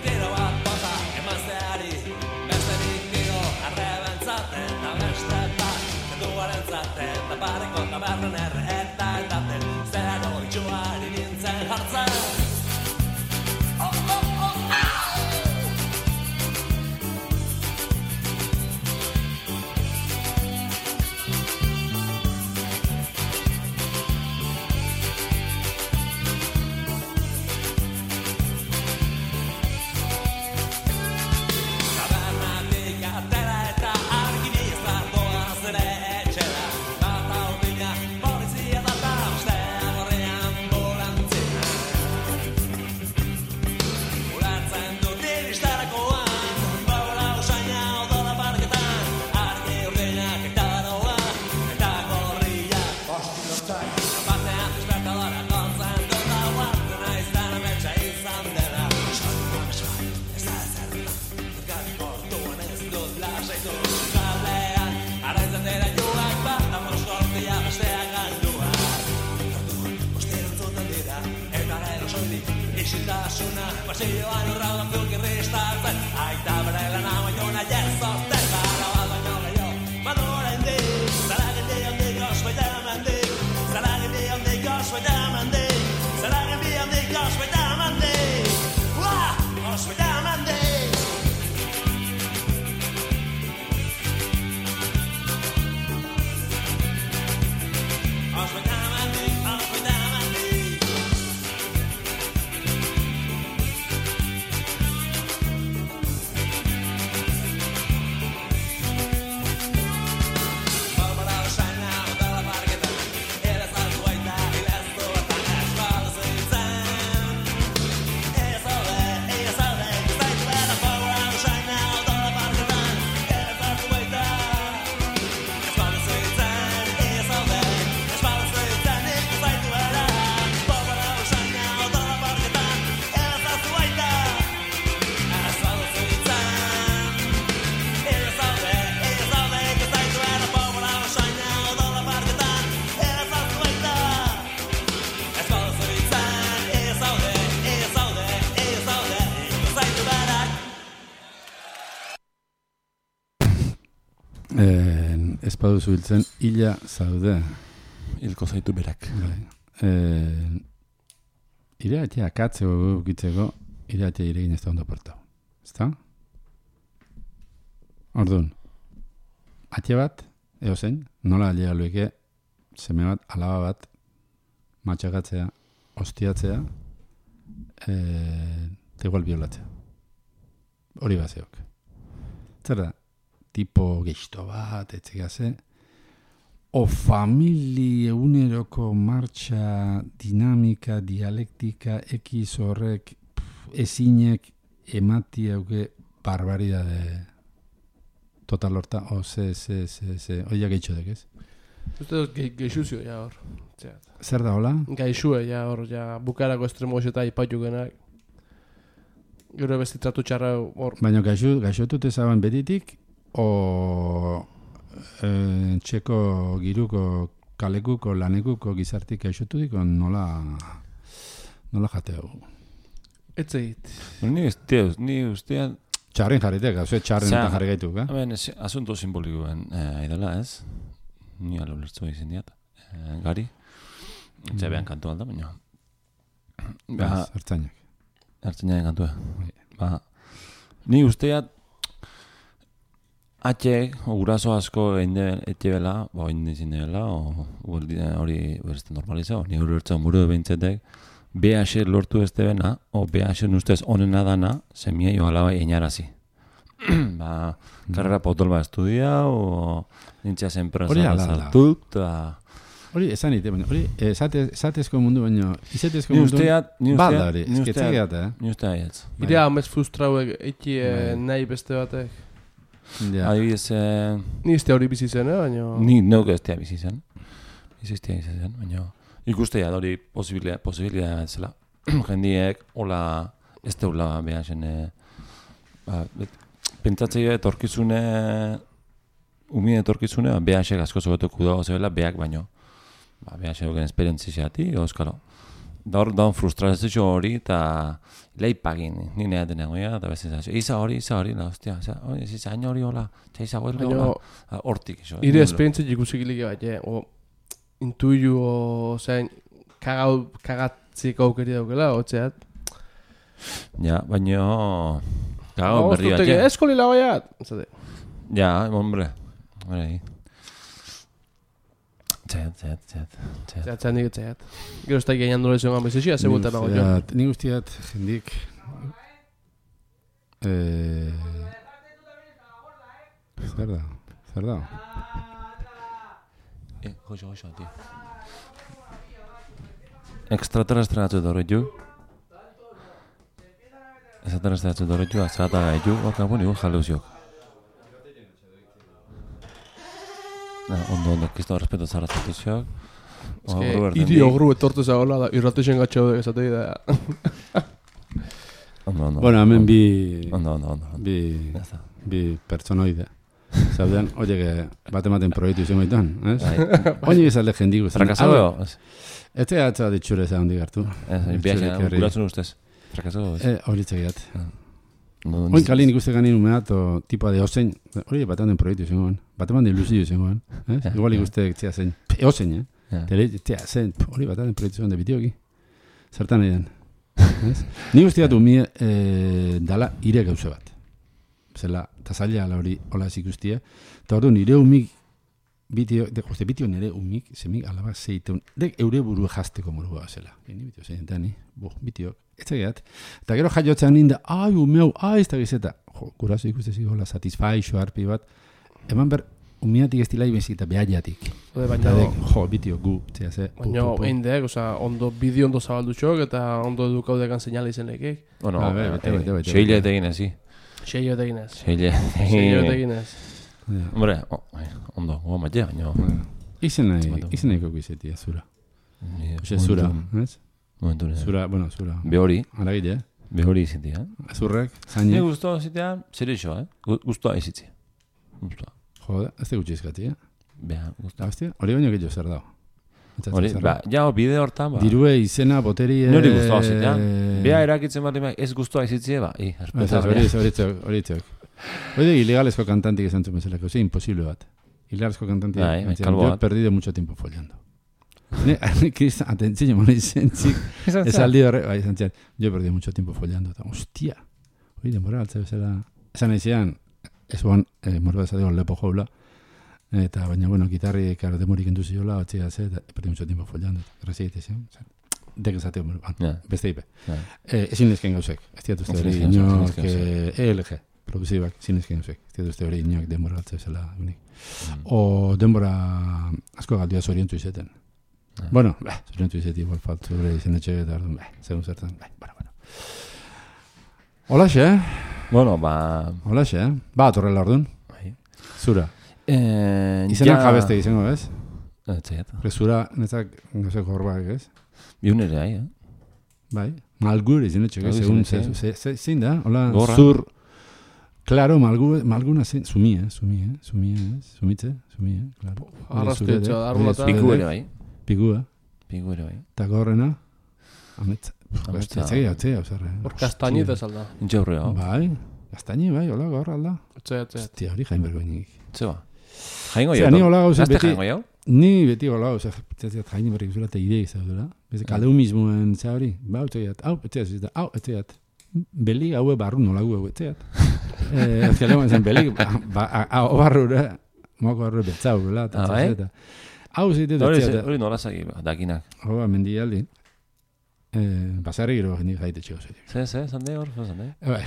Speaker 4: tiro bat bota emazteari, besterik tiro arrebentzaten, da beste bat, kenduaren zaten, da barriko tabernan erre eta edaten, zero itxuari nintzen jartzen. Isiltasuna, pasioan urraudan zulkirristatzen, aita bere lan amaiona jezorten, zara bat baino gehiago, badura indik, zaragin handik osbaita emandik, zaragin handik osbaita emandik, zaragin handik osbaita emandik, osbaita emandik. Osbaita emandik, osbaita emandik.
Speaker 2: Espadu zubiltzen, hila zaude.
Speaker 1: Hilko zaitu berak.
Speaker 2: Iratia akatzeko gukitzeko, iratia iregin ez da ondo portau. Ezta? Orduan, atia bat, eozein, nola alia lueke, seme bat, alaba bat, matxagatzea, ostiatzea, eta igual biolatzea. Hori bazeok. Zer da? Tipo gehizto bat, etxegase, o famili eguneroko martxa, dinamika, dialektika, ekiz horrek, ezinek, emati hauke, barbaridade, total horta, oia gehitxodek, ez?
Speaker 3: Uste dut gehizuzio, ja hor.
Speaker 2: Zer da, hola?
Speaker 3: Gaixue, ja hor, ja bukarako estremo eta ipatu genak. Gero bestitratu txarra hor.
Speaker 2: Baina gaixotut ezaban betitik, o txeko giruko kalekuko lanekuko gizartik gaixotudik nola jateu.
Speaker 3: Etzeit.
Speaker 1: Ni ustean
Speaker 2: txarrin jarritek, hau txarrin eta jarri gaituk,
Speaker 1: asunto simbolikoen idala, ez? Ni alo lertzu izin diat. Gari. Etxebean kantu alda, baina.
Speaker 2: Ertzainak.
Speaker 1: Ertzainak kantua. Ni usteat atxek, guraso asko etxe bela, egin izin dela, hori berezten normalizau, ni hori bertzen muru behintzetek, BH lortu ez debena, o BH ustez onena dana, semia jo alabai einarazi. Karrera potol bat estudia, o nintzea zenpresa zartut,
Speaker 2: hori esan ite, baina hori esatezko mundu baino, izetezko mundu bada hori, esketzegeat,
Speaker 1: Ni usteat.
Speaker 3: Irea amez frustrauek eki nahi beste batek.
Speaker 1: Adibidez...
Speaker 3: Ni iztea hori bizi zen, baina...
Speaker 1: Ni neuk ez bizi zen. Baina... Ikustea hori posibilidad zela. Jendiek, hola, ez teula behasen... pentsatzea etorkizune, umien etorkizune, BH-ek asko zobetuko dago zebela, BH baino. BH duken esperientzizeati, euskalo. Da hor, daun frustrazio hori, eta leipagin, ni nea denean goia, eta bezizazio, isa hori, la, hostia, isa hain hori hola, isa hori hola, hortik, iso.
Speaker 3: Ire esperientzia ikusik ilike bat, o intuiu, o, zein, kagatzik aukeri daukela, otzeat.
Speaker 1: Ja, baino, gago berri bat, ja.
Speaker 3: Eskoli lagoiat, zate.
Speaker 1: Ja, hombre, hori. Txeat.
Speaker 3: Txeat nik txeat. Gero ez da gainan dole zegoen bezizia, zebutan nago jo.
Speaker 2: Nik guztiat, jendik... Zer da?
Speaker 1: Joxo, tío. Extraterrestre atzu dorretu. Extraterrestre atzu dorretu, azata gaitu, baka boni jaleuzioak. Ondo, kisto respeto zarrazatu zioak.
Speaker 3: Iri ogru etortu zagoela da, irratexen gatxau da, esatei da.
Speaker 1: Ondo.
Speaker 2: Bueno, hemen
Speaker 1: Ondo.
Speaker 2: Bi pertsonoide. Zaudean, oie, bat-ematen proiektu izan gaituan, ez? Oine bizalde jendigu.
Speaker 1: Frakasado?
Speaker 2: Ez atza ditxure za hondik hartu.
Speaker 1: Biaxean, guratzen ustez. Frakasado?
Speaker 2: Horitzak idat. Oin kalin ikuste ganin umeat, o tipa de osein, hori bat-ematen proiektu izan goen. Bat-ematen ilusio izan goen. Igual ikuste tzea zen, osein, tzea zen, hori bat-ematen proiektu izan de bidioki. Zertan edan. Ni guztiat umie dala ire gauze bat. Zela, eta zaila hori hola ez ikustia. Eta hor du, nire umik, bitio nire umik, zemik alaba zeiteun, dek eure buru jazteko morua zela. Ni bitio zein, bitio, ez egeat. Eta gero jaiotzen ninde, ai, umeu, ai, ez da gizeta. Jo, gurazo ikustezi hola, satisfaixo harpi bat. Eman ber, umiatik ez dilai bezita, behaiatik. Jo, bitio, gu, zea ze.
Speaker 3: Baina, eindek, ondo, bideo ondo zabaldutxok, eta ondo edukaudekan seinale izen lekik.
Speaker 1: Bueno, seile eta ginez, sí.
Speaker 3: Seio eteginez.
Speaker 1: Hombre, ondo, goa matea, baina...
Speaker 2: Izenaiko gizetia, zura. Oxe, zura, ez?
Speaker 1: Momentu nire.
Speaker 2: Zura.
Speaker 1: Behori.
Speaker 2: Aragile,
Speaker 1: Behori izitia.
Speaker 2: Zurrek, zaine.
Speaker 1: Ni guztua izitia, zer iso, guztua izitia. Guztua.
Speaker 2: Joder, ez te gutxi izkati,
Speaker 1: Beha, guztua.
Speaker 2: Hostia, hori baino gehiago zer dago.
Speaker 1: Hori, ja, bide hortan, ba.
Speaker 2: Dirue, izena, boterie...
Speaker 1: Nori guztua izitia. Beha erakitzen bat ez guztua izitia, ba.
Speaker 2: Horitzok. Hori ilegalezko kantantik esan zuen bezalako, sí, imposible bat. Ilegalezko kantantik. Yo he perdido mucho tiempo follando. Cristian, atentzio, mona izentzik. Esaldi horre, bai, izantzian. Yo he perdido mucho tiempo follando. Hostia. Hori, denbora, altza bezala. Esan aizean, ez guan, morba ezateko lepo joula. Eta baina, bueno, gitarri demorik entu ziola, batxea ze, eta perdi mucho tiempo follando. Rezi egitezio. Dek ezateko, beste ipe. Ezin lezken gauzek. Ez diatu uste hori, inok, ELG, produzibak, ezin lezken gauzek. Ez diatu uste hori, inok denbora altza bezala. O denbora asko galdia zorientu izeten. Bueno, zorientu izeti, igual faltu hori izen etxe eta ardun, segun zertan, bueno. Holaxe,
Speaker 1: Bueno, ba...
Speaker 2: Holaxe, Ba, torrela ardun. Zura. Izenak jabeste izango, ez?
Speaker 1: Etxeat.
Speaker 2: Zura, netzak gauzeko horbak, ez?
Speaker 1: Biunere,
Speaker 2: Bai. Malgur izin etxek, segun zein da? Hola,
Speaker 1: Gorra.
Speaker 2: zur... Claro, malguna zein... Sumitze, claro.
Speaker 3: Arrastu etxo, arrulata.
Speaker 1: Piku ere, bai.
Speaker 2: Piku ere, bai. Eta gorrena... Ametza. Etzea, osarre.
Speaker 3: Hor kastañita salda.
Speaker 1: Intxaurrea.
Speaker 2: Bai, kastañi, bai, hola, gorra alda.
Speaker 3: Etxea.
Speaker 2: Hostia, hori jain bergoinik.
Speaker 1: Zeba. Jaingo jau.
Speaker 2: Ni hola gauza beti...
Speaker 1: Jaingo jau?
Speaker 2: Ni beti hola gauza, jain berrik zula eta idei zaudela. Kaleu mismoen za hori. Ba, etxeat, etxeat. Beli haue barru nola gu hau etxeat. Ezkaleman zen beli, hau barrura, moako barrura betzau, bela. Hau zeitet etxeat.
Speaker 1: Hori nola zagi, dakinak.
Speaker 2: Hau, mendialdi. Basarri gero jendik jaite txego zeitek.
Speaker 1: Ze, zande hor, zande.
Speaker 2: Bai.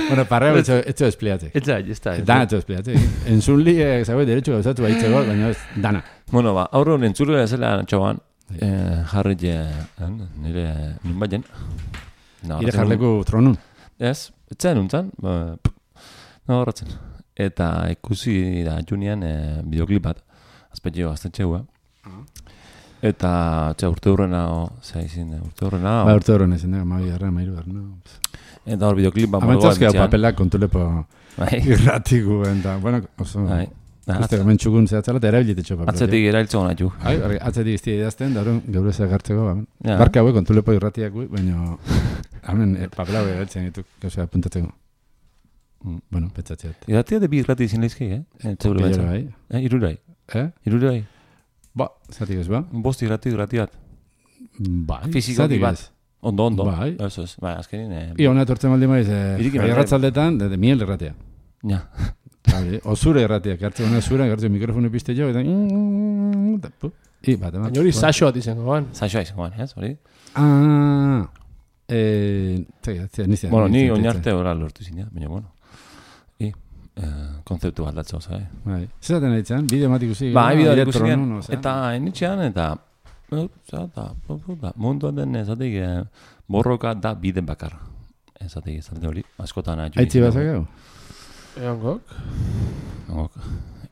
Speaker 2: Bueno, parreo etxo espliatzek.
Speaker 1: Etxa.
Speaker 2: Dana etxo espliatzek. Entzunli, zagoe, derecho gauzatu baitzeko, baina ez, dana.
Speaker 1: Bueno, ba, aurro entzule zela txoban, jarri nire nun baien.
Speaker 2: Ire jarleku tronun.
Speaker 1: Ez, etxean nuntzan, horretzen. Eta ikusi da junian bideoklip bat, azpetxeo aztetxeua. Eta urte hurrena, urte hurrena.
Speaker 2: Ba, urte hurrena ezin da, mairu garra.
Speaker 1: Eta hor bideoklip bat
Speaker 2: Amantzazkia papelak kontulepo
Speaker 1: Bai.
Speaker 2: irratikuen, da, bueno, oso...
Speaker 1: Bai.
Speaker 2: Uste, hemen txukun zehatzala, eta erabilitetxo papelak.
Speaker 1: Atzetik erailtzo gona ju.
Speaker 2: Atzetik iztia idazten, da hori geure zegartzeko,
Speaker 1: Ja.
Speaker 2: barka hauek kontulepo irratiak gui, baina hemen papela hauek erabiltzen ditu, gauzea puntatzeko. Bueno, petzatzeat.
Speaker 1: Irratia de bi irrati izin leizki, Etzeure
Speaker 2: Pillero,
Speaker 1: betza. Irurai. Irurai.
Speaker 2: Ba, zatik ez, ba?
Speaker 1: Bost irratiat.
Speaker 2: Bai,
Speaker 1: Fizikoki
Speaker 2: zatik
Speaker 1: bat.
Speaker 2: ez.
Speaker 1: Ondo.
Speaker 2: Bai.
Speaker 1: Eso es. Bai, azkenin...
Speaker 2: Ia hona etortzen maldi maiz,
Speaker 1: Iriki berden.
Speaker 2: erratzaldetan, de miel erratia.
Speaker 1: Ja.
Speaker 2: Vale, o zure erratiak, hartzen hona zure, hartzen mikrofonu piste jo, eta... Bat, eman.
Speaker 3: Baina hori saxo bat izango, ban.
Speaker 1: Zaixoa izango ban, ez, hori?
Speaker 2: Nizia.
Speaker 1: Bueno, ni oinarte ora lortu zin, baina bueno. Konzeptu bat datza, oza,
Speaker 2: Bai. Zeraten aritzen, bideo matik usi.
Speaker 1: Bai, bideo ikusiken, eta enitxean, eta munduan den ezatik borroka da bide bakar. Ezatik hori, askotan atxu.
Speaker 2: Aitzi bazakau?
Speaker 3: Eangok.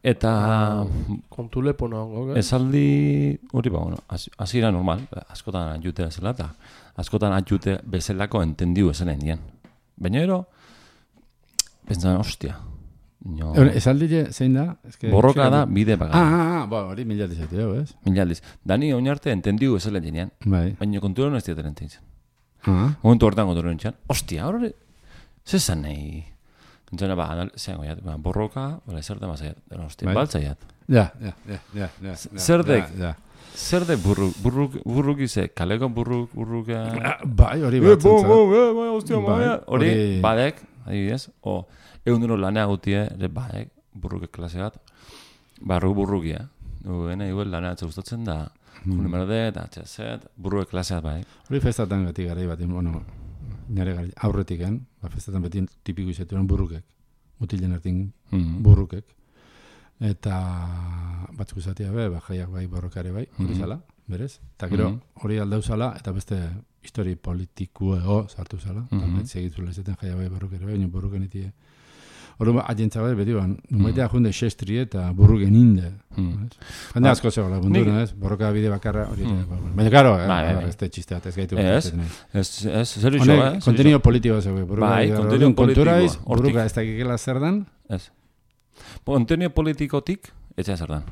Speaker 1: Eta
Speaker 3: Kontulepo nahongok,
Speaker 1: esaldi hori ba, bueno, azira normal, askotan atxute bezala, eta askotan atxute bezalako entendiu esan endien. Baina ero, pentsan, ostia.
Speaker 2: Esaldi zein da?
Speaker 1: Borroka da bide bakar.
Speaker 2: Hori milaldiz zaitu, ez?
Speaker 1: Milaldiz. Dani oinarte entendiu ezelen jenean.
Speaker 2: Bai.
Speaker 1: Baina kontuero ez diateren ententzen. Momentu hortan kontuero nintzen. Ostia, horre, zezan nahi. Entzena, zean goiat, borroka, zer da mazaiat. Ostia, baltzaiat.
Speaker 2: Ja.
Speaker 1: Zerdek burruk ize, kaleko burruk...
Speaker 2: Bai, hori batzantza.
Speaker 1: Ostia, hori badek, adibidez, eunduro lanea gutie, badek, burruke klase bat, burrukia. Gena, lanea atze gustatzen da, june merde, eta atxezet, burruke klaseat bai.
Speaker 2: Hori festatan beti garai bat, bueno, nire aurretiken, festatan beti tipiko izeturen burrukek, mutilen hartin burrukek. Eta batzuk izatea jaiak bai borrokare bai, hori zala, berez. Eta gero hori aldau zala, eta beste histori politikuego sartu zala. Segitu lezeten jaiak bai borrokare bai, baina borroken itie. Hori agentza bai, beti ban, numaitea junde xestri eta burruken inde. Jende asko zegoela, gundura, ez? Borroka bide bakarra hori. Baina, karo, ez te txisteat, ez gaitu.
Speaker 1: Ez, zer iso,
Speaker 2: eh? Kontinio politikoa zegoe.
Speaker 1: Bai, kontinio politikoa.
Speaker 2: Burruka ez dakikela zer dan.
Speaker 1: Ez. Kontinio politikotik, etxea zer dan.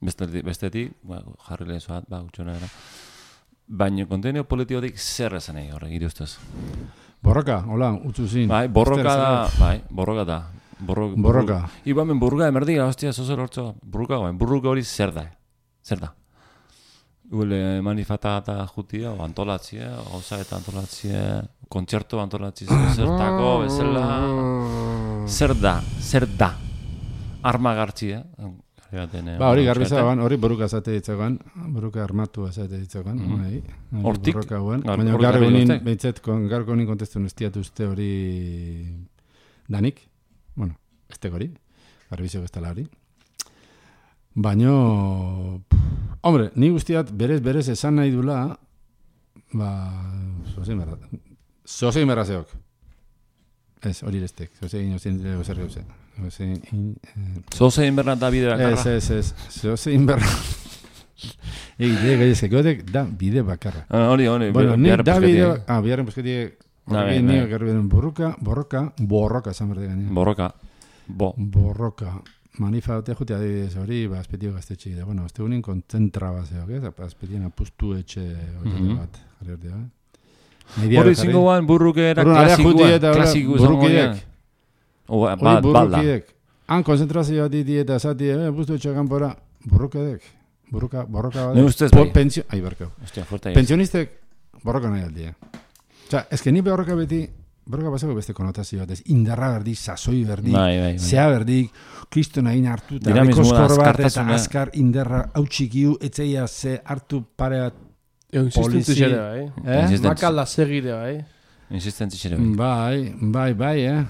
Speaker 1: Bestetik, jarri lehezoat, gutxona era. Baina kontinio politikotik zer esan egin horrek, iri ustez.
Speaker 2: Borroka, hola, utzu zin.
Speaker 1: Bai, borroka da. Borroka. Ibamen burruka emerdiga, hostia, zozer hortzo. Burruka hori zer da. Gule manifata eta jutia, o antolatzia, gauza eta antolatzia, kontzertu antolatzia, zertako, bezala. Zer da. Arma gartzia.
Speaker 2: Hori garbiza ban, hori borruka zate ditzagoan, borruka armatu zate ditzagoan.
Speaker 1: Hortik.
Speaker 2: Baina garko honin kontestu nestiatu uste hori danik. Bueno, ez hori, garbizio bestala hori. Baina, hombre, ni guztiat berez esan nahi dula, zozein berrazeok. Ez, hori restek, zozein zer gauze.
Speaker 1: Zozein berra da bide bakarra?
Speaker 2: Ez, zozein berra. Egite, gaizkekotek da bide bakarra.
Speaker 1: Hori,
Speaker 2: bueno, nik da bide... biharren pusketiek, nio gerbiden borroka, esan berde gaine. Borroka. Manifate jute adibidez hori, azpetio gaztetxe da. Bueno, azte unin kontzentra bazeok, ez? Azpetien apustu etxe hori bat.
Speaker 1: Hori zingoan burruke era klasiko
Speaker 2: burrukideak.
Speaker 1: Hori
Speaker 2: burrukideak. Han konzentrazioa diti eta zati, apustu etxe kanpora. Burrukideak. Borroka bat.
Speaker 1: Ne ustez bai.
Speaker 2: Ai, barkau. Pensionistek borroka nahi aldia. Osea, eske ni borroka beti, borroka basako beste konotazio bat, ez indarra berdik, sasoi berdik, zea berdik, kristona egin hartu, eta rekoskor bat, eta azkar indarra hau txikiu, etzeia ze hartu pare bat
Speaker 3: Insistentu xere bai. Makalda segire bai.
Speaker 1: Insistentzi xere bai.
Speaker 2: Bai, bai,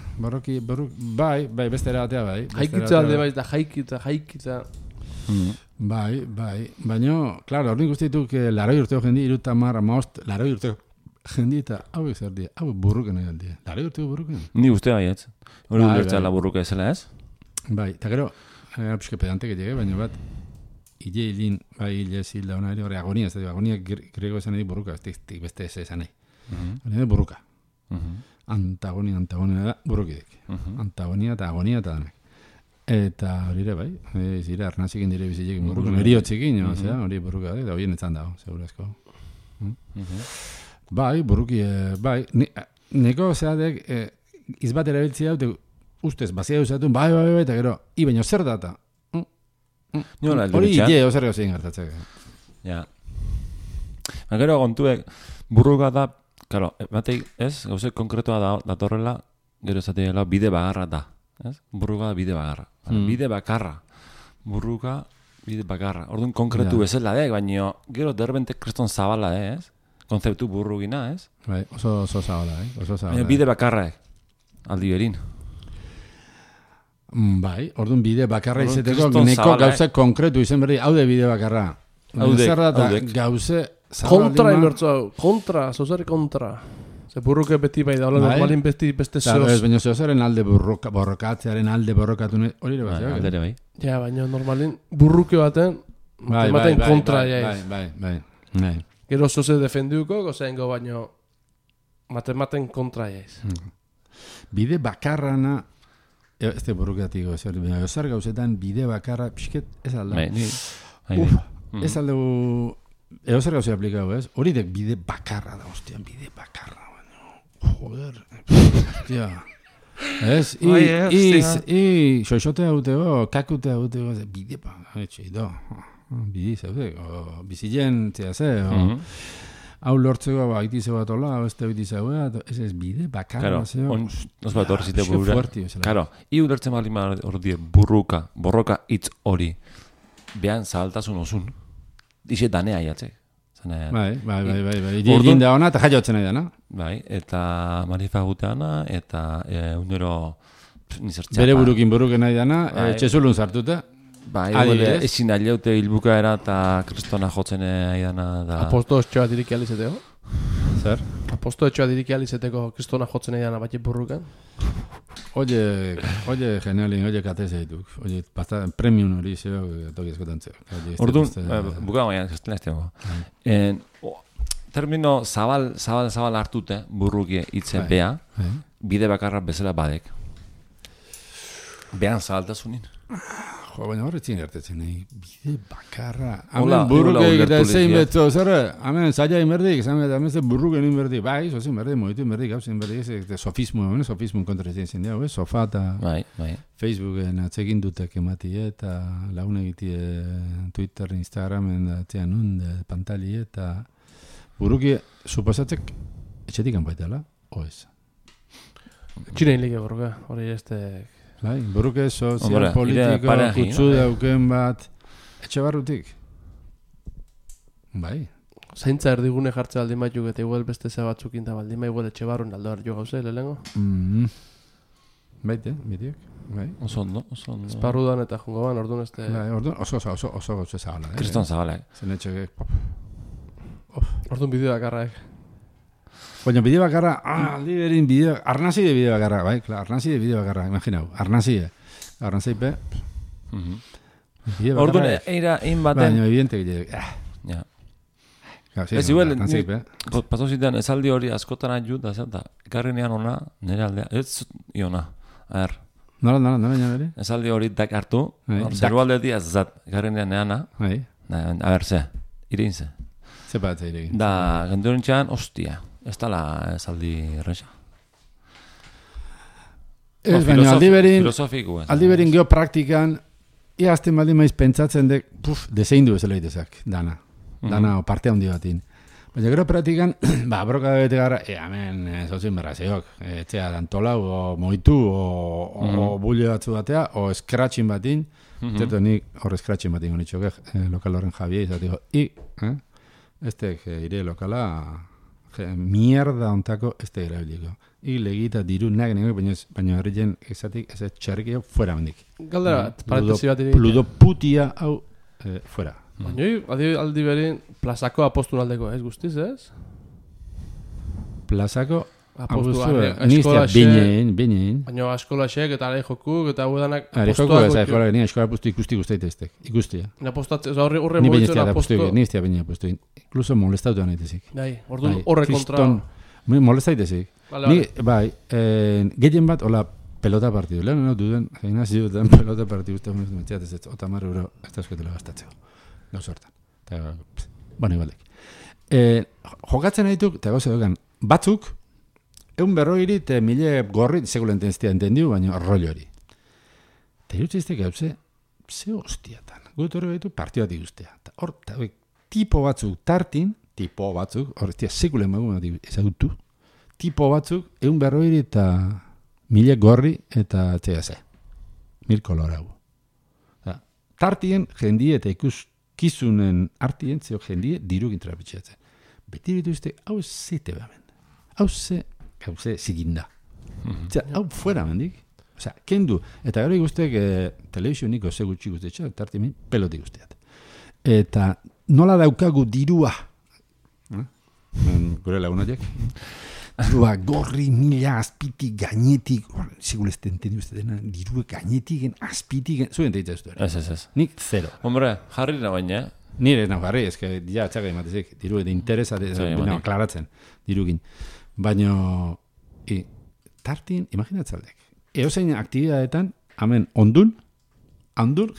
Speaker 2: beste erabatea bai.
Speaker 3: Haikitza alde bai, eta haikitza.
Speaker 2: Bai. Baina, klaro, hori guztituk laroi urteo jendi, irutamar, amaost, laroi urteo jendi, eta hau zer di, hau burruken nahi aldi. Laroi urteo burruken.
Speaker 1: Ni uste bai, ez. Hori ulertzea la burruka ezela ez?
Speaker 2: Bai, eta gero, pixke pedante que llegue, baina bat, ile hilin, bai, ile zilda hona ere, hori agonia, ez da, agonia grego esan nahi burruka, ez beste ez esan nahi. Hori burruka. Antagonia da burukidek. Antagonia eta agonia eta danak. Eta hori ere bai, zire arnazikin dire bizilekin buruken, eriotzikin, hori buruka da horien etzan dago, segurazko. Bai, buruki, bai, neko zeatek izbat erabiltzia dute ustez, bazia duzatun, bai, eta gero, baina zer data? Hori ide, ozer gauzien gertatzek.
Speaker 1: Ja. Gero kontuek, burruka da, claro, bateik, ez, gauze konkretua datorrela, gero esateela bide bagarra da. Ez? Burruka bide bagarra. Bide bakarra. Burruka bide bakarra. Orduan konkretu bezala baina gero derbente kriston zabala, ez? Konzeptu burrugina, ez?
Speaker 2: Bai, oso zabala, oso zabala.
Speaker 1: Bide bakarra, aldi berin.
Speaker 2: Bai, orduan bide bakarra izeteko neko gauze konkretu izen berdi, haude bide bakarra. Zer da gauze
Speaker 3: kontra inbertzu hau, kontra, zozari kontra. Burruke beti bai da, normalin beste zoz.
Speaker 2: Baina zozaren alde borrokatzearen alde borrokatu hori ere bat.
Speaker 1: Bai.
Speaker 3: Ja, baina normalin burruke baten ematen kontra jaiz.
Speaker 2: Bai.
Speaker 3: Gero zoze defendiuko, gozaingo baino matematen kontra jaiz.
Speaker 2: Bide bakarrana, ez da burrukatiko, zer gauzetan bide bakarra, pixket, ez alda. Ez alda, zer gauzea aplikau, ez? Hori dek bide bakarra da, ostian, bide bakarra. Joder, hostia. Ez, xoixote hautego, kakute hautego, bide pa, etxeido. Bide zaude, bizilen, ze, hau lortzeko, haiti zeu bat hola, beste haiti zeu bat, ez bide bakarra, zeo.
Speaker 1: Nos bat hor zite burura. Karo, ulertzen bali hor die borroka hitz hori, behan zabaltasun osun, dixe danea jatzek.
Speaker 2: Bai. Egin da ona eta jaiotzen nahi dana.
Speaker 1: Bai, eta manifa guteana, eta unero nizertxapa.
Speaker 2: Bere buruken nahi dana, txezulun sartuta.
Speaker 1: Bai, ezin aileute hilbukaera eta kristona jotzen nahi dana.
Speaker 3: Aposto etxoa diriki alizeteko?
Speaker 2: Zer?
Speaker 3: Aposto etxoa diriki alizeteko kristona jotzen nahi dana batxe burrukan?
Speaker 2: Oye, genialin, oye, kateze dituk. Oye, premium hori zeo, toki eskotan zeo.
Speaker 1: Orduan, buka gaian, gesten eztego. Termino zabal hartute, burrukie hitzen bea, bide bakarra bezala badek. Behan zabaltasunin.
Speaker 2: Jo, baina horretzin gertetzen, bide bakarra. Hemen burruke egita zein betzo, zer, hemen zaila inberdik, hemen ze burruken inberdik, bai, zozin berdik, moitu inberdik, hau zein berdik, sofismo kontratzen zen diau, sofa eta Facebooken atzekin dutek emati eta lagun egitie Twitter, Instagramen atzean pantali eta burruki suposatzek etxetik anbaitela, oez.
Speaker 3: Txinein like burruka, hori este...
Speaker 2: Bai, burruke sozial, politiko, kutsu dauken bat, etxe barrutik. Bai.
Speaker 3: Zaintza erdigune jartze aldin baituk eta igual beste ze batzukin da baldin bai igual etxe barrun aldo hartu gauze, lehengo?
Speaker 2: Baite, bitiek. Bai.
Speaker 1: Oso ondo.
Speaker 3: Esparrudan eta jungo ban, orduan este...
Speaker 2: Bai, orduan oso gauze zabala.
Speaker 1: Kriston zabala.
Speaker 2: Zen etxe
Speaker 3: orduan bideo bakarrak.
Speaker 2: Baina bide bakarra, aldi berin bideo, arnazi de bideo bakarra, bai, klar, arnazi de bideo bakarra, imaginau, arnazaipe.
Speaker 1: Orduan, eira inbaten...
Speaker 2: Baina, evidente gile,
Speaker 1: ja.
Speaker 2: Ez igual,
Speaker 1: paso zitean, esaldi hori askotan adjut, da, ekarrinean ona, nire aldea, ez iona, a ver.
Speaker 2: Nola, nire?
Speaker 1: Esaldi hori dak hartu, zeru aldetik ez zat, ekarrinean neana, a ver, ze, irein ze.
Speaker 2: Ze bat ze irein.
Speaker 1: Da, genduren txan, ostia. Ez tala esaldi erresa.
Speaker 2: Ez, baina
Speaker 1: aldi
Speaker 2: berin geopraktikan, iazten baldin maiz pentsatzen dek, deseindu bezala itezak, dana o parte handi batin. Baina gero praktikan, broka bete gara, hemen, zozin berrazeok, etxea dantolau, o moitu, o bulle batzu batea, o scratchin batin, zertu nik hor scratchin batin honitxok, lokal horren Javier, izatiko, estek ire lokala, mierda ontako ez da irabiliko. Legita diru nagenek, baina horretzen ezatik ez txarrikio fuera mendik.
Speaker 3: Galdera, parentesi bat
Speaker 2: Pludoputia hau fuera.
Speaker 3: Baina, aldi berin, plazako apostun aldeko, ez guztiz, ez?
Speaker 2: Plazako
Speaker 3: apostun,
Speaker 2: niztia, binein.
Speaker 3: Baina, askolaxek eta are jokuk eta huedanak
Speaker 2: apostuak. Eskola apostu ikustik usteiteztek, ikustia.
Speaker 3: Horre moitzen apostu.
Speaker 2: Niztia binein apostu. Incluso molestatu anetezik.
Speaker 3: Horre kontra.
Speaker 2: Molesta itezik.
Speaker 3: Vale,
Speaker 2: Ni, bai, gehien bat, hola, pelota partidu. Lehen, no, duden, gimnazio duten pelota partidu, uste mentxeat ez, otamar euro, ez da eskotela gastatzeko. Gauz hortan. Bueno, igualdek. Jokatzen dituk, eta gauza dugan, batzuk, 150 eta 1000 gorri, segulenten ez entendiu, baina rollo hori. Eta irutzeizte gauze, ze hostiatan. Gut horre gaitu partio bat iguztea. Hor, tipo batzuk tartin, hor, sekulen magu ezagutu, tipo batzuk, 150 eta 1000 gorri eta txegase. 1000 kolorau. Tartien jendie eta ikuskizunen artien, zeo jendie dirugin trapitxeatzen. Beti dituzte, hau zite behamen. Hau ze ziginda. Hau fuera mendik. Osea, kendu. Eta gero ikustek telebizioniko ze gutxi guztetxo, tartimin peloti guzteat. Eta nola daukagu dirua? Gure lagunotiek. Dirua gorri, 1000 azpitik, gainetik, segulezten entendi uste dena, dirua gainetik, azpitik, zuen teitza ez duen.
Speaker 1: Ez.
Speaker 2: Nik zero.
Speaker 1: Hombre, jarri da baina.
Speaker 2: Nire nahi jarri, ezke, ja, txaga imatezik, diru eta interesa, klaratzen, dirugin. Baina, tartin, imaginatzaldek. Eozein aktibidadetan, hemen, ondun,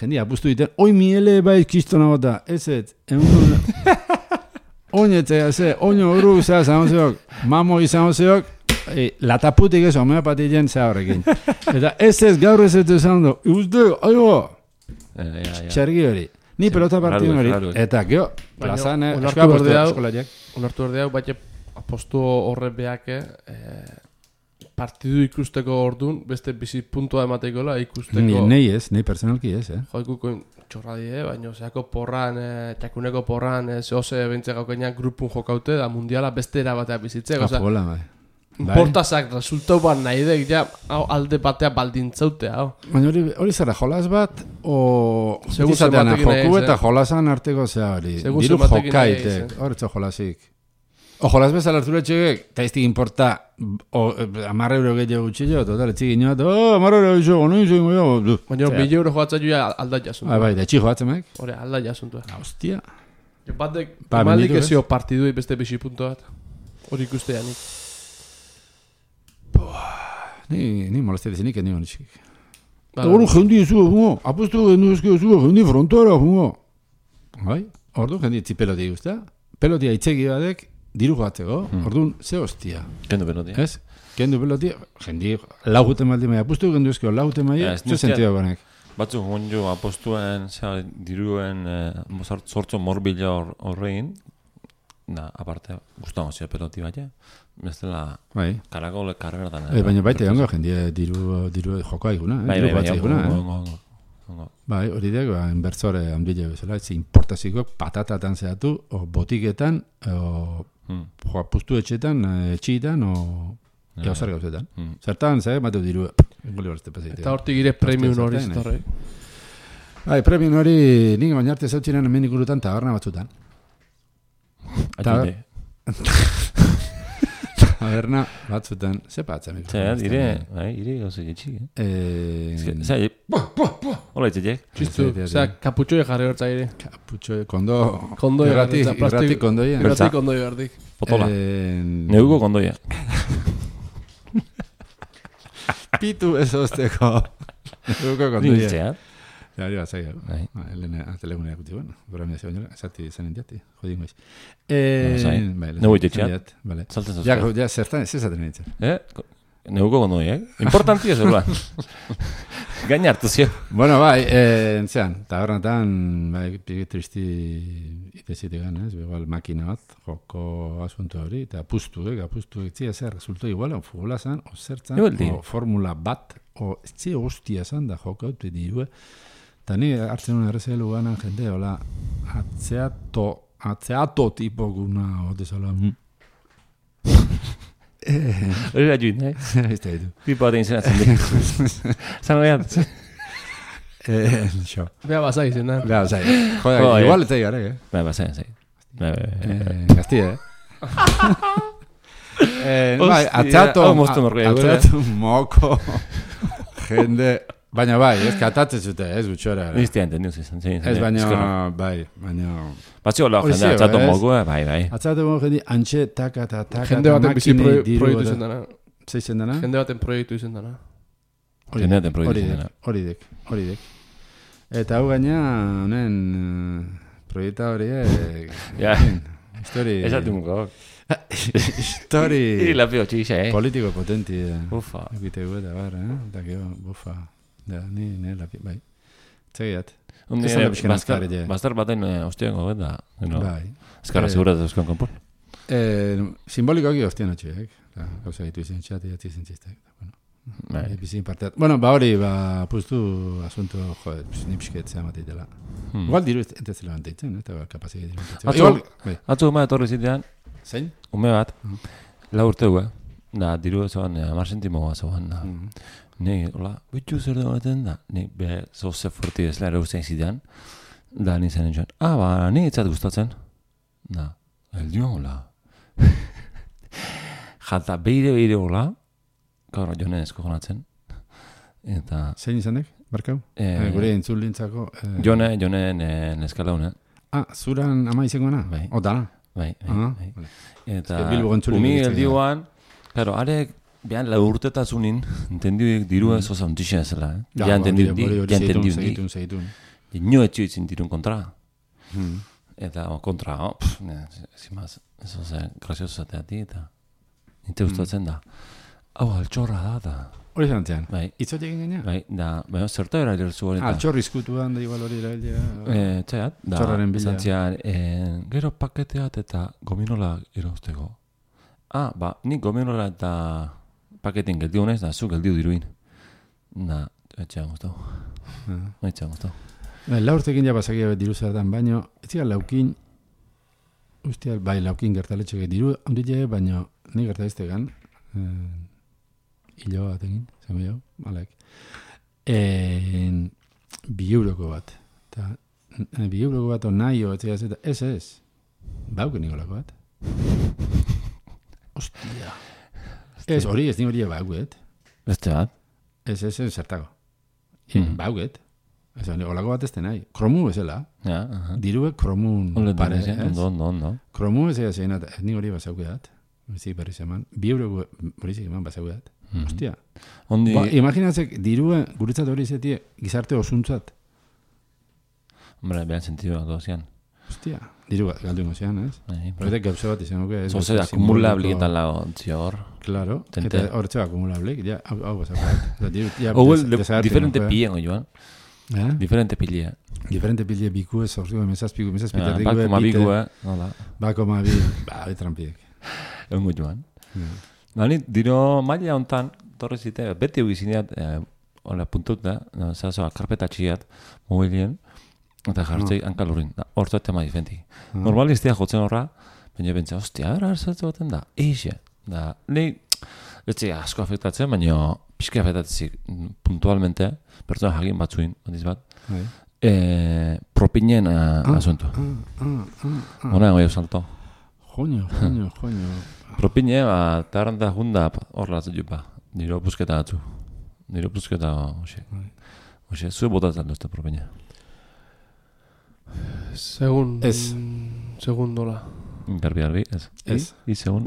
Speaker 2: jendia apustu diten, oi miele bai kistona bota, ez, oinetzea ze, oino uru zea zamozeok, mamo izamozeok, lataputik ez, homeopatien zea horrekin. Eta ez gaur ez izan du, uste, aigo, txergi hori. Ni pelota partidun hori, eta geho, plazan,
Speaker 3: onartu berdeak, baina apostu horre beake, partidu ikusteko orduan, beste bizi puntua emateikola ikusteko.
Speaker 2: Nei personalki ez,
Speaker 3: Joikuko txorradie, baina zeako porran, txakuneko porran, zehose bentze gaukenean grupun jokaute, da mundiala beste erabatea bizitzeko.
Speaker 2: Apola, bai.
Speaker 3: Importazak resultau bat nahi dek, ja, alde batea baldintzautea.
Speaker 2: Baina hori zara, jolas bat, o... Izatean, joku eta jolasan arteko zea hori. Diru jokaite, horretzo jolasik. O jolas bezala hartura txegek, eta iztik importa, 10 euro gehiago gutxillo, total, etxik inoat, 10 euro gehiago, no izango jo.
Speaker 3: Baina 1000 euro joatza joa alda jasuntu.
Speaker 2: Bai, da etxik joatzen mek?
Speaker 3: Hore, alda jasuntu.
Speaker 2: Hostia.
Speaker 3: Batek, emalik ezio partidui beste bisi puntu bat. Hori ikustea nik.
Speaker 2: Ni molestia dezenik endi honetxik. Hori jendi ez zua, apostu gendu ezkio zua, jendi frontora, bai, ordu jendi etzi peloti guztia. Pelotia itzegi badek, diru joatzeko, orduan, ze hostia.
Speaker 1: Kendu pelotia.
Speaker 2: Ez? Kendu pelotia, jendi lauguten maldi maia, apostu gendu ezkio lauguten maia, ze sentido gonek.
Speaker 1: Batzu honjo apostuen, diruen sortzo morbila horrein, aparte, guztango zio peloti baina, bestela karako karreran.
Speaker 2: Baina baita egongo jendia diru jokoa iguna, diru batza iguna. Bai, hori dek, inbertsore handile bezala, ez importaziko patatatan zehatu, o botiketan, o apustu etxetan, etxitan, o gauzar gauzetan. Zertan, zeh, bateu diru,
Speaker 3: eta hortik gire premium hori zitorre.
Speaker 2: Bai, premium hori, nik baina arte zautxinan hemen ikurutan taberna batzutan. Taberna batzutan, ze patzen.
Speaker 1: Ire gauze jetxik. Hola itxetek.
Speaker 3: Txistu, kaputxoi jarri hortza ire.
Speaker 2: Kaputxoi, kondo irrati kondoia.
Speaker 3: Irrati kondoi berdik.
Speaker 1: Potola, neuko kondoia.
Speaker 2: Pitu ez ozteko. Neuko kondoia.
Speaker 1: Rintzea.
Speaker 2: Ja, hori bat zaila. Elena, telegunea guti, bueno. Gora mea zegoen, esati zen endiati. Jodin goiz.
Speaker 1: Neuko itxeat. Salten zauzko.
Speaker 2: Ja, zertan, ez ezaten nintzen.
Speaker 1: Neuko kondoia, importantia zegoen. Gaina hartu zio.
Speaker 2: Bueno, bai, entzean, tabernatan, bai, pigi tristi itezitik gan, ez? Igual makina bat, joko asunto hori, eta apustu, etzia zer, resultó igual, o futbola zan, o zertzan, o formula bat, o etxe hostia zan da joko haute dirue, eta ni hartzen un errezelu ganan jende, hola, atzeato tipo guna, ote zola,
Speaker 1: hori da juin,
Speaker 2: ez da ditu.
Speaker 1: Pipo batean zenatzen du. Zan hori antes.
Speaker 2: Xo.
Speaker 3: Bea bazai zen, da.
Speaker 2: Bea bazai. Joder, igual ez da igarek,
Speaker 1: Bea bazai.
Speaker 2: Gazti, Bai, atzeatu moko, jende Baina bai, ez katatzen zute, ez gutxora.
Speaker 1: Niztia entendiu zizan.
Speaker 2: Ez baina, bai, baina...
Speaker 1: Batzi hola,
Speaker 2: Hori
Speaker 1: jendea,
Speaker 2: zeo,
Speaker 1: txatu
Speaker 2: ez?
Speaker 1: mogu, bai.
Speaker 2: Atzatu mogu jendi, antxe, taka,
Speaker 3: Jende baten bizi
Speaker 2: makine, diru,
Speaker 3: proiektu izen dana.
Speaker 2: Zeitzen dana?
Speaker 3: Jende baten proiektu izen dana.
Speaker 1: Jende baten proiektu izen dana.
Speaker 2: Hori dek. Eta hau gaina, honen, proiekta horiek...
Speaker 1: Ja.
Speaker 2: Histori...
Speaker 1: Esatu muko.
Speaker 2: Histori...
Speaker 1: Lapio txixa,
Speaker 2: Politiko potenti.
Speaker 1: Ufa.
Speaker 2: Egite gu eta bar, Eta gero, bufa. Da, ni lapio, bai. Txegiat.
Speaker 1: Undi,
Speaker 2: Ez da pixkan azkarri,
Speaker 1: bastar baten ostiako beta.
Speaker 2: Bai.
Speaker 1: Ezkarra segura duzkoan konpon.
Speaker 2: Simbolikoak hostien atxeak. Gauza gitu izan txat, idatzi izan txistek.
Speaker 1: Bai.
Speaker 2: Bizin parteat. Bueno, ba hori, puztu asunto, joder, nipsket zea matitela. Igual diru ez zela banteitzen, eta kapazia diru banteitzen.
Speaker 1: Atzu ume etorri zitean,
Speaker 2: Zein?
Speaker 1: ume bat, 4 urteu, da, diru zoan, 10 sentimo zoan, da. Ni, hola, bitxu zer dugu baten da, ni, be, zoze forti ez lehera ustein zitean, da, ni zen entzuan, ba, ni itzat gustatzen, da, eldio, hola. Jata, beire, hola, gaur, jonen esko gonatzen, eta...
Speaker 2: Zein izanek, barkau? Gure entzun lintzako...
Speaker 1: Jone neskala une.
Speaker 2: Zuran ama izangoana?
Speaker 1: Bai.
Speaker 2: Dana?
Speaker 1: Bai. Eta
Speaker 2: Bilbo gontzuli
Speaker 1: umi
Speaker 2: ditzen,
Speaker 1: eldioan, claro, arek, behan la urtetazunin, entendiuk diru ez oza ontixen ezela, Ja entendiuk
Speaker 2: Segitun.
Speaker 1: Nio etxio itzin dirun kontra. Eta kontra, zimaz, ez oza, grazioso zateati, eta nite gustatzen da. Hau, altxorra da.
Speaker 2: Hori zantzean?
Speaker 1: Bai.
Speaker 2: Itzot egin gaina?
Speaker 1: Bai, da, zerta era erelzu hori.
Speaker 2: Altxorri izkutuan da igual hori erabilea.
Speaker 1: Txaiat, da,
Speaker 2: Txorraren bila.
Speaker 1: zantzian, gero paketeat eta gominola irauzteko. Ba, nik gominola eta paketin geldiu naiz, da, zu geldiu diruin. Da, etxean guztau. Etxean guztau.
Speaker 2: La urtekin ja pasakia diru zertan, baino, ez zira laukin, ustia, bai, laukin gertaletxek diru, handile, baino, ni gertaiztegan, hilo bat egin, zeme jau, malek. 2 euroko bat. Eta, 2 euroko bat, nahi, ez, bauken nigolako bat. Ostia. Ez, hori, ez ni hori bauket.
Speaker 1: Beste bat?
Speaker 2: Ez, zertako. Bauket. Ez, olako bat ez nahi. Kromu ezela.
Speaker 1: Ja,
Speaker 2: Diruek kromun pare, ez?
Speaker 1: Ondo.
Speaker 2: Kromu ez zein, ez ni hori basaukeat. Bizik berriz eman. 2 euroko horizik eman basaukeat. Ostia.
Speaker 1: Ondi...
Speaker 2: Imaginatzek, dirua guretzat hori izatie gizarte osuntzat.
Speaker 1: Hombre, behan sentidu bat dozian.
Speaker 2: Ostia. Diru galdu ingozian, ez? Horretek gauza bat izan nuke.
Speaker 1: Zoze, akumulabli eta lago hor.
Speaker 2: Claro. Eta horretxe akumulabli. Ja, hau basaukeat.
Speaker 1: Hau, diferente pillen, joan. Diferente pille.
Speaker 2: Diferente pille biku ez orzu, mesazpiku,
Speaker 1: Bakoma biku,
Speaker 2: Bakoma bi, trampiek.
Speaker 1: Eungo joan. Ni, diro maila hontan, torre zite, beti egizineat, hola puntut da, zazoa, karpeta txiat, mobilien, eta jartzei hankalurin, hortzat tema difenti. Normalistia jotzen horra, baina bentsa, ostia, hartzatu baten da, eixe. Da, ni, etxe asko afektatzen, baina pixka afektatzik puntualmente, pertsona jagin batzuin, bandiz bat, propinen asunto. Hora goio salto.
Speaker 2: Joño.
Speaker 1: Propine, tarranta junda horla zupa. Niro busketa atzu. Niro busketa, oxe, zu botatzen duzte propine.
Speaker 3: Segundola.
Speaker 1: Garbi, ez? Segun.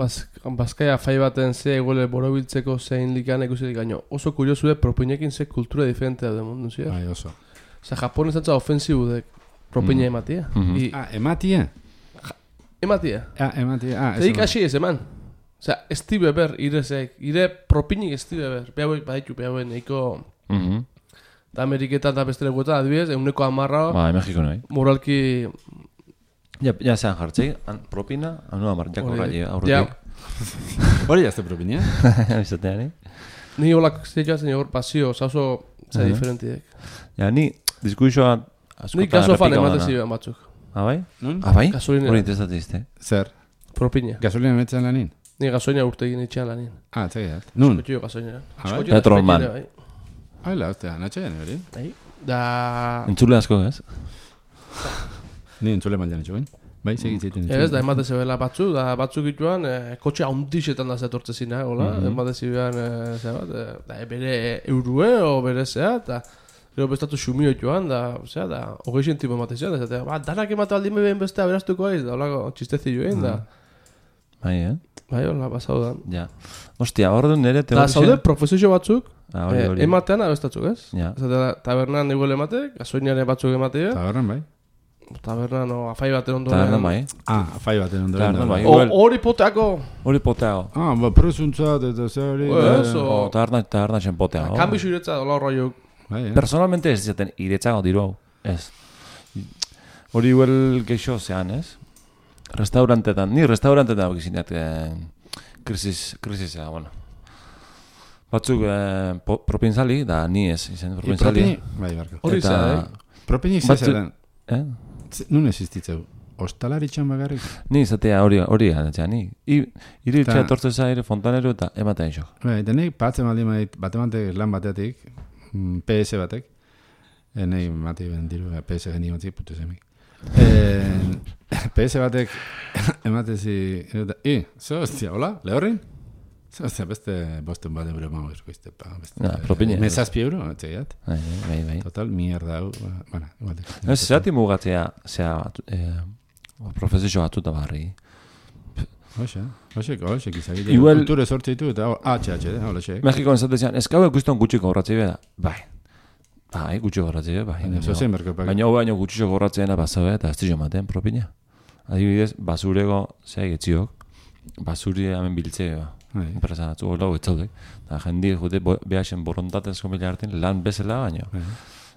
Speaker 3: Bazkaia fai baten ze egole borobiltzeko zein likan ikusirik gaino. Oso kuriosue propinekin ze kultura diferentea da mundu, zia?
Speaker 2: Bai, oso.
Speaker 3: Osa, Japon ez ofensibu dek propine ematia.
Speaker 2: Ematia?
Speaker 3: Ematia.
Speaker 2: Ematia.
Speaker 3: Zeik hasi ez eman. Osa, Steve Ber, ire propinik Steve Ber. Behauek baditu, behauen eiko... Da Ameriketan da beste leguetan, adibidez, 110.
Speaker 1: Ba, Mexiko nahi.
Speaker 3: Moralki...
Speaker 1: Ja zean jartzei, propina, anu amar, jako rai, aurretik.
Speaker 2: Hori jazte propinia?
Speaker 1: Bizatean,
Speaker 3: Ni holak zeitxatzen hor pasio, oso zera diferentiek.
Speaker 1: Ja, ni diskursoa
Speaker 3: Ni gasofan ematen ziren batzuk.
Speaker 1: Bai?
Speaker 2: Bai?
Speaker 3: Gasolinera.
Speaker 1: Hori interesatizte.
Speaker 2: Zer?
Speaker 3: Propina.
Speaker 2: Gasolina metzen lanin?
Speaker 3: Ni gasoina urte egin etxean lanin.
Speaker 2: Txegiat. Nun?
Speaker 3: Eskotxio gasoinera.
Speaker 2: Bai?
Speaker 1: Petrolman.
Speaker 2: Haila, ostia, natxean hori?
Speaker 3: Da...
Speaker 1: Entzule asko, ez?
Speaker 2: Ni entzule maldean etxoin. Bai, segitzeiten.
Speaker 3: Ez, da emate zebela batzuk ituan, kotxe handixetan da zetortze zina, hola, emate zibean, da bere eurue, o bere zea, eta gero bestatu xumio ituan, da 20 zentimo emate zian, da danak emate aldin beben bestea beraztuko aiz, da holako txistezioen, da.
Speaker 1: Bai,
Speaker 3: Bai, hola, basau da.
Speaker 1: Ja. Ostia, hor du nire
Speaker 3: Da, zaude profesio batzuk,
Speaker 1: hori.
Speaker 3: ematean abestatzuk, ez?
Speaker 1: Ja.
Speaker 3: Tabernan igual emate, gasoinare batzuk emate,
Speaker 2: Tabernan, bai.
Speaker 3: tabernan o afai baten ondoren.
Speaker 1: Tabernan bai.
Speaker 2: Afai baten ondoren.
Speaker 1: Tabernan bai.
Speaker 3: Hori poteako.
Speaker 1: Hori poteago.
Speaker 2: Presuntzat eta zehari.
Speaker 3: Eso.
Speaker 1: Taberna zen poteago.
Speaker 3: Kambizu iretza dola horroiuk.
Speaker 1: Personalmente ez izaten iretzago diru hau. Ez. Hori igual geixo zean, ez? Restaurantetan, ni restaurantetan gizinak krisisa, bueno. Batzuk propinzali, da ni ez, izan propinzali.
Speaker 2: Bai, barko.
Speaker 3: Hori za,
Speaker 2: Propini zezeran. Nun existitzeu. Ostalaritxan bagarrik?
Speaker 1: Ni izatea hori ganatzea, ni. Iritxea etortze zaire fontanero eta ematen isok.
Speaker 2: Bai, eta nik batzen baldin batek lan bateatik, PS batek, nahi mati ben diru, PS geni batzik, putu zemik. PS batek ematezi, zo hostia, hola, lehorrin? Zo hostia, beste bosten bat euro mago izkoizte,
Speaker 1: propine.
Speaker 2: Mesazpi euro, etxegiat.
Speaker 1: Bai.
Speaker 2: Total, mierda hau, bueno, igual.
Speaker 1: Ez, zerati mugatzea, profesio batuta barri.
Speaker 2: Hoxe, izagile. Kulture sortze ditu eta HH, hola xe.
Speaker 1: Mexikoan zatezean, eskau ikusten gutxiko horratzei beda. Bai, gutxiko horratzei beda. Baina gutxiko horratzeena bazabe eta ez dizio maten propina. Adibidez, basurego zeak etziok, basuri hemen biltzea. Enpresa batzu hola etzaudek. Eta jendi jute behasen borontatezko mila hartin lan bezala baino.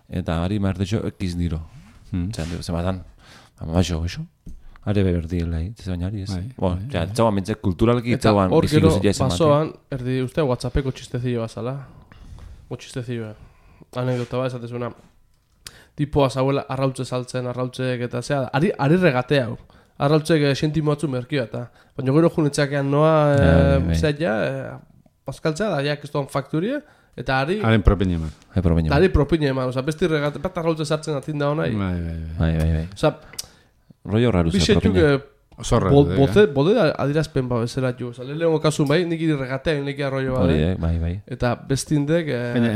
Speaker 1: Eta ari martetxo ekiz diro. Zematan, amaixo, goxo. Are beberdi helai, baina ari ez. Bueno, ja, txauan bintzek kulturalki txauan biziko zila ez ematen.
Speaker 3: Basoan, erdi uste WhatsAppeko txistezio bazala. O txistezio. Anekdota bat esatezuna. Tipoa zauela arrautze saltzen, arrautzek eta zea. Ari regatea hau. Arrautzek sentimo batzu merkioa eta. Baina gero junetxakean noa zea paskaltzea da, ja, kistuan fakturia. Eta ari...
Speaker 2: Haren propine eman.
Speaker 3: Ari propine eman. Osa, besti regate, bat arrautze sartzen atinda honai.
Speaker 1: Bai.
Speaker 3: Osa,
Speaker 1: rollo raro zen propine.
Speaker 3: Bode adirazpen ba bezala jo. Osa, lehenengo kasun bai, nik iri regatea, nik arroio bade.
Speaker 1: Bai.
Speaker 3: Eta bestindek,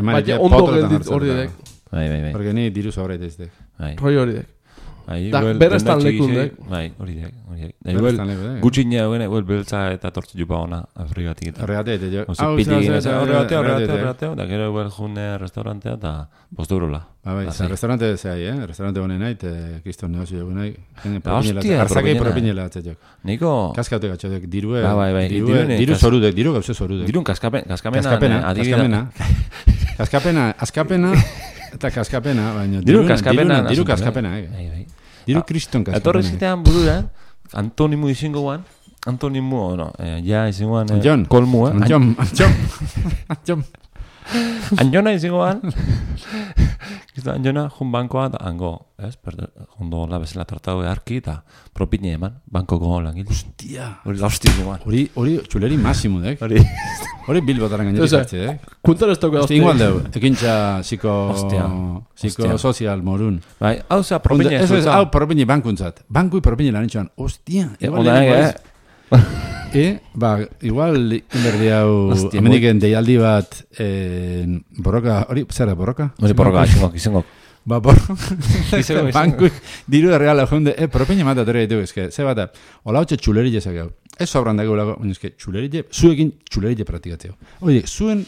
Speaker 2: baina
Speaker 3: ondo geldit hori dek.
Speaker 1: Bai.
Speaker 2: Porque ni diru sobra iteztek.
Speaker 3: Rollo hori dek.
Speaker 1: Da,
Speaker 3: berestan lekundek.
Speaker 1: Bai, hori dek. Gutxinea eguen, beltza eta tortzu jupa ona Afrikatik eta.
Speaker 2: Horregatea, jo.
Speaker 1: Horregatea, da gero eguel june restaurantea eta posturola.
Speaker 2: Bai, restaurante zehai, restaurante honen nahi, kiston negozio egun nahi.
Speaker 1: Hostia,
Speaker 2: arzakei propinela atzetiok.
Speaker 1: Niko...
Speaker 2: Kaskaute gatxotek, dirue,
Speaker 1: bai.
Speaker 2: diru zorudek, diru gauze zorudek.
Speaker 1: Dirun kaskapena,
Speaker 2: Askapena, eta kaskapena, baina
Speaker 1: diru kaskapena.
Speaker 2: Diru kriston kaskapena.
Speaker 1: Etorri zitean burura, antonimu izango guan, ja izango guan, kolmu, Anjona izango guan, Anjona jun bankoa da hango, jondo la bezala tratau edarki eta propine eman, bankoko langil.
Speaker 2: Hostia!
Speaker 1: Hori lausti izango guan.
Speaker 2: Hori txuleri máximo, dek. Hori bilbotaren gainetik hartze, dek.
Speaker 3: Kuntar ez tauke
Speaker 2: hostia. Igual deu, ekintza psiko sozial morun.
Speaker 1: Bai, hau zea propine ez dut.
Speaker 2: Hau propine bankuntzat. Bankui propine lan itxoan. Hostia! Igual inberdi hau hemendiken deialdi bat borroka, hori, zera, borroka?
Speaker 1: Hori borroka, izango.
Speaker 2: Bankui diru da regala jonde, propine mata torre ditu, ze bat, hola hotxe txulerille zakau. Ez sobran dago lago, txulerille, zuekin txulerille praktikatzeo. Oye, zuen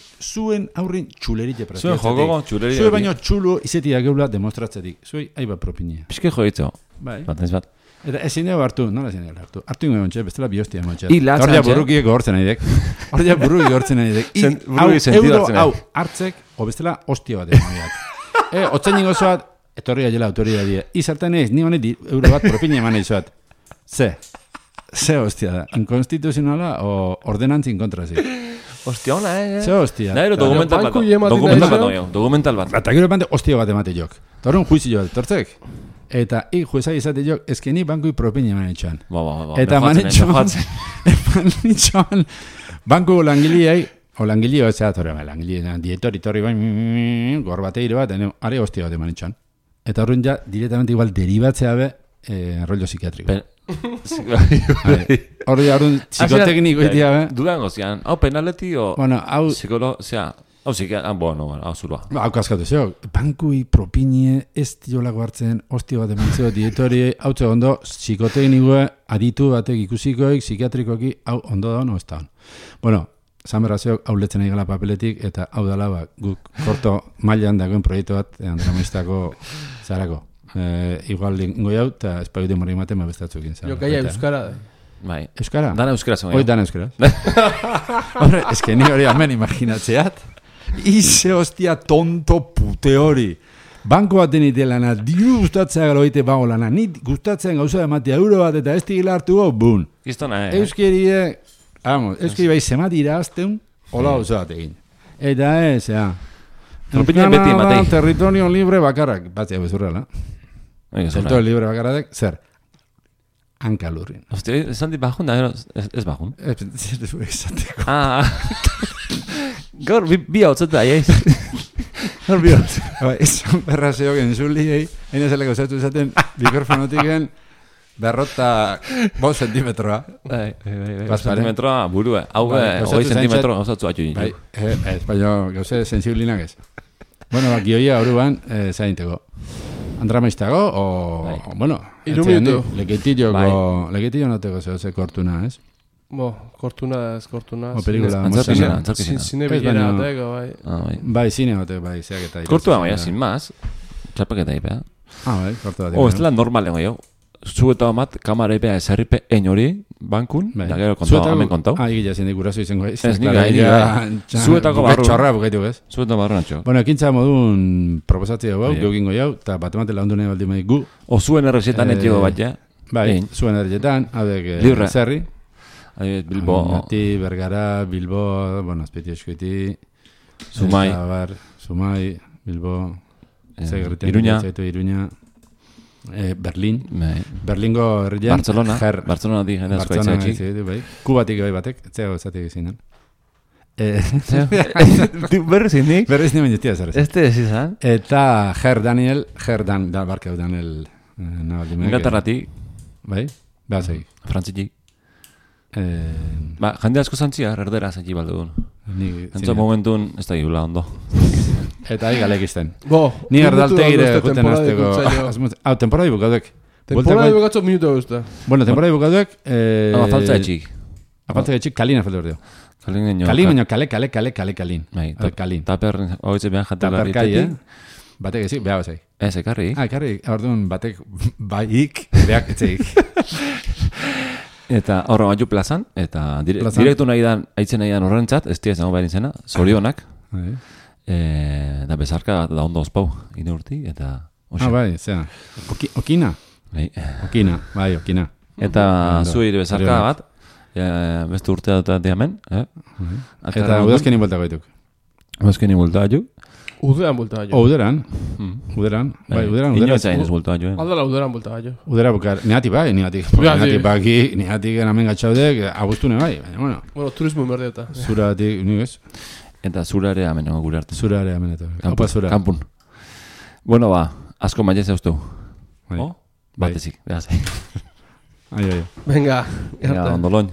Speaker 2: aurrin txulerille praktikatzeo.
Speaker 1: Zuen joko txulerille.
Speaker 2: Zue baino txulo izetia geula demostratzetik. Zuei, aiba propinea.
Speaker 1: Piske joitzo.
Speaker 2: Bai.
Speaker 1: Bat.
Speaker 2: Eta ezin dugu hartu, nola ezin dugu hartu? Hartu ingo ontxe, bestela bihostia montxe.
Speaker 1: Horria
Speaker 2: burrukiek gortzen nahi dek. Horria burruki gortzen nahi dek. Euro hau hartzek, o bestela hostia bat egin nahi. Otzen ningo zoat, etorri gaiela autoria die. Izartan ez, ni honet euro bat propina eman nahi zoat. Ze hostia da. Inkonstituzionala o ordenantzi inkontrazik.
Speaker 1: Hostia ona,
Speaker 2: Ze hostia.
Speaker 1: Nairo dokumental bat.
Speaker 2: Eta gero hostia bat emate jok. Torren juizio bat, tortzek. Eta juezai izate jok, ezkeni bankui propina eman etxoan. Eta manetxoan, banku langiliai, o langilio ez zeatorre, langilio, dietori, gor bateire bat, are hostia bat eman etxoan. Eta horren ja, directamente igual deribatzea be, rollo psikiatriko. Hori arun psikotekniko itia,
Speaker 1: Dudango zian, hau penaleti o...
Speaker 2: Bueno, hau...
Speaker 1: Hau zikia, bueno, hau zurua.
Speaker 2: Hau kaskatu zeo, bankui propinie ez diolako hartzen, hostia bat emantzeo dietori, hau ondo, psikoteknikoa aditu batek ikusikoik, psikiatrikoki, hau ondo da, no ez da. Bueno, Zanberrazeok hau letzen egala papeletik, eta hau dala, guk korto mailan dagoen proiektu bat, Andramistako zarako. Igual lingo jau, eta espaiu demorri ematen bestatzukin.
Speaker 3: Jo, gaia euskara.
Speaker 1: Bai.
Speaker 2: Euskara?
Speaker 1: Dana euskara zen.
Speaker 2: Hoi, dana euskara. Hombre, es que ni hori hemen imaginatzeat. Ize hostia tonto pute hori. Banko baten itelana, diru gustatzea galo ite bago lana. Ni gustatzen gauza ematea euro bat eta ez tigila hartu go, bun.
Speaker 1: Giztona,
Speaker 2: Euskerie, euskeri bai zemati irazteun, hola gauza bat egin. Eta
Speaker 1: Propina beti ematei.
Speaker 2: Territorio libre bakarrak. Batzea bezurrela. Territorio libre bakarrak, zer? Hankalurrin.
Speaker 1: Hostia, esan dit bajun, da ez bajun.
Speaker 2: Ez esateko.
Speaker 1: Gaur, bi hau zeta,
Speaker 2: Gaur bi hau zeta. Esan berrazeok enzuliei, hain ezeleko zatu esaten, mikrofonotiken, 5 zentimetroa.
Speaker 1: Bai, zentimetroa burua. Hau, 20 zentimetro gauzatzu atxu
Speaker 2: bai, baina gauze sensiblinak ez. Bueno, gioia horuan, zainteko. Andramaistago, o, bueno,
Speaker 3: Irumitu.
Speaker 2: Leketillo noteko ze kortuna, ez?
Speaker 3: Kortuna ez, kortuna.
Speaker 2: O pelikula
Speaker 1: Antzarkizena.
Speaker 3: Zine bilera bateko, bai.
Speaker 2: Bai, zine bateko, bai, zeak eta...
Speaker 1: Kortua baina, sin más. Txapaketa ipea.
Speaker 2: Bai, kortu bat.
Speaker 1: Ez dela normalen goi, zu eta omat, kamara ipea esarripe enori, bankun, da gero kontau, hamen kontau.
Speaker 2: Igila zindik guraso izango, ez?
Speaker 1: Ez nik zuetako barru.
Speaker 2: Txorra bukaitu, ez?
Speaker 1: Zuetako barru natxo.
Speaker 2: Bueno, ekintza modun proposatzea hau, geukingo jau, eta bat emate lagundu nahi baldi maik gu.
Speaker 1: O zuen errezetan etxego bat, ja?
Speaker 2: Bai, zuen errezetan, haudek zerri.
Speaker 1: Bilbo.
Speaker 2: Mati, Bergara, Bilbo, bueno, azpeti eskueti. Zumai, Bilbo. Iruña. Berlin. Berlingo herrian.
Speaker 1: Barcelona di jende asko aitzatxik.
Speaker 2: Kubatik bai batek, etzea gozatik izinen.
Speaker 1: Berrez indik?
Speaker 2: Berrez nien baina zer.
Speaker 1: Este ez izan?
Speaker 2: Eta Daniel, barkeu Daniel.
Speaker 1: Ingatarratik.
Speaker 2: Bai, behar zegik.
Speaker 1: Frantzitik. Jende asko zantzia, erdera zentzi baldugun. Entzo momentun ez da gula ondo.
Speaker 2: Eta galek izten. Ni erdaltegire guten azteko. Temporada bukaduek.
Speaker 3: Temporada bukatzo minuto guzta.
Speaker 2: Bueno, temporada bukaduek...
Speaker 1: Falta etxik.
Speaker 2: Falta etxik, kalina falta berdeo. Kalin, kalin. Kalin.
Speaker 1: Taper, hoitze behan jatela
Speaker 2: ritetik. Batek ezik, beha bazai.
Speaker 1: Ez, ekarri.
Speaker 2: Ekarri, orduan batek baik, beak etzeik.
Speaker 1: Eta horra batu plazan, eta direktu nahi dan, aitzen nahi dan horrentzat, ez tia zango behar izena, zorionak. Da bezarka da ondo ospau, ine urti, eta...
Speaker 2: Bai, zera. Okina? Okina.
Speaker 1: Eta zuir bezarka bat, beste urtea dut diamen.
Speaker 2: Eta udazkeni bulta gaituk.
Speaker 1: Udazkeni bulta gaituk.
Speaker 3: Uderan bulta gaio.
Speaker 2: Uderan. Bai, uderan.
Speaker 1: Inoetzain ez bulta gaio.
Speaker 3: Aldala uderan bulta gaio.
Speaker 2: Udera bukar. Niatik hemen gatxaudek, agustune bai.
Speaker 3: Bueno, turismo merdeota.
Speaker 2: Zuratik, nigez.
Speaker 1: Eta zura ere amen gure arte.
Speaker 2: Zura ere amen eta.
Speaker 1: Kampun. Bueno, asko maia zauztu. Batezik, behaz.
Speaker 3: Venga,
Speaker 1: ondoloin.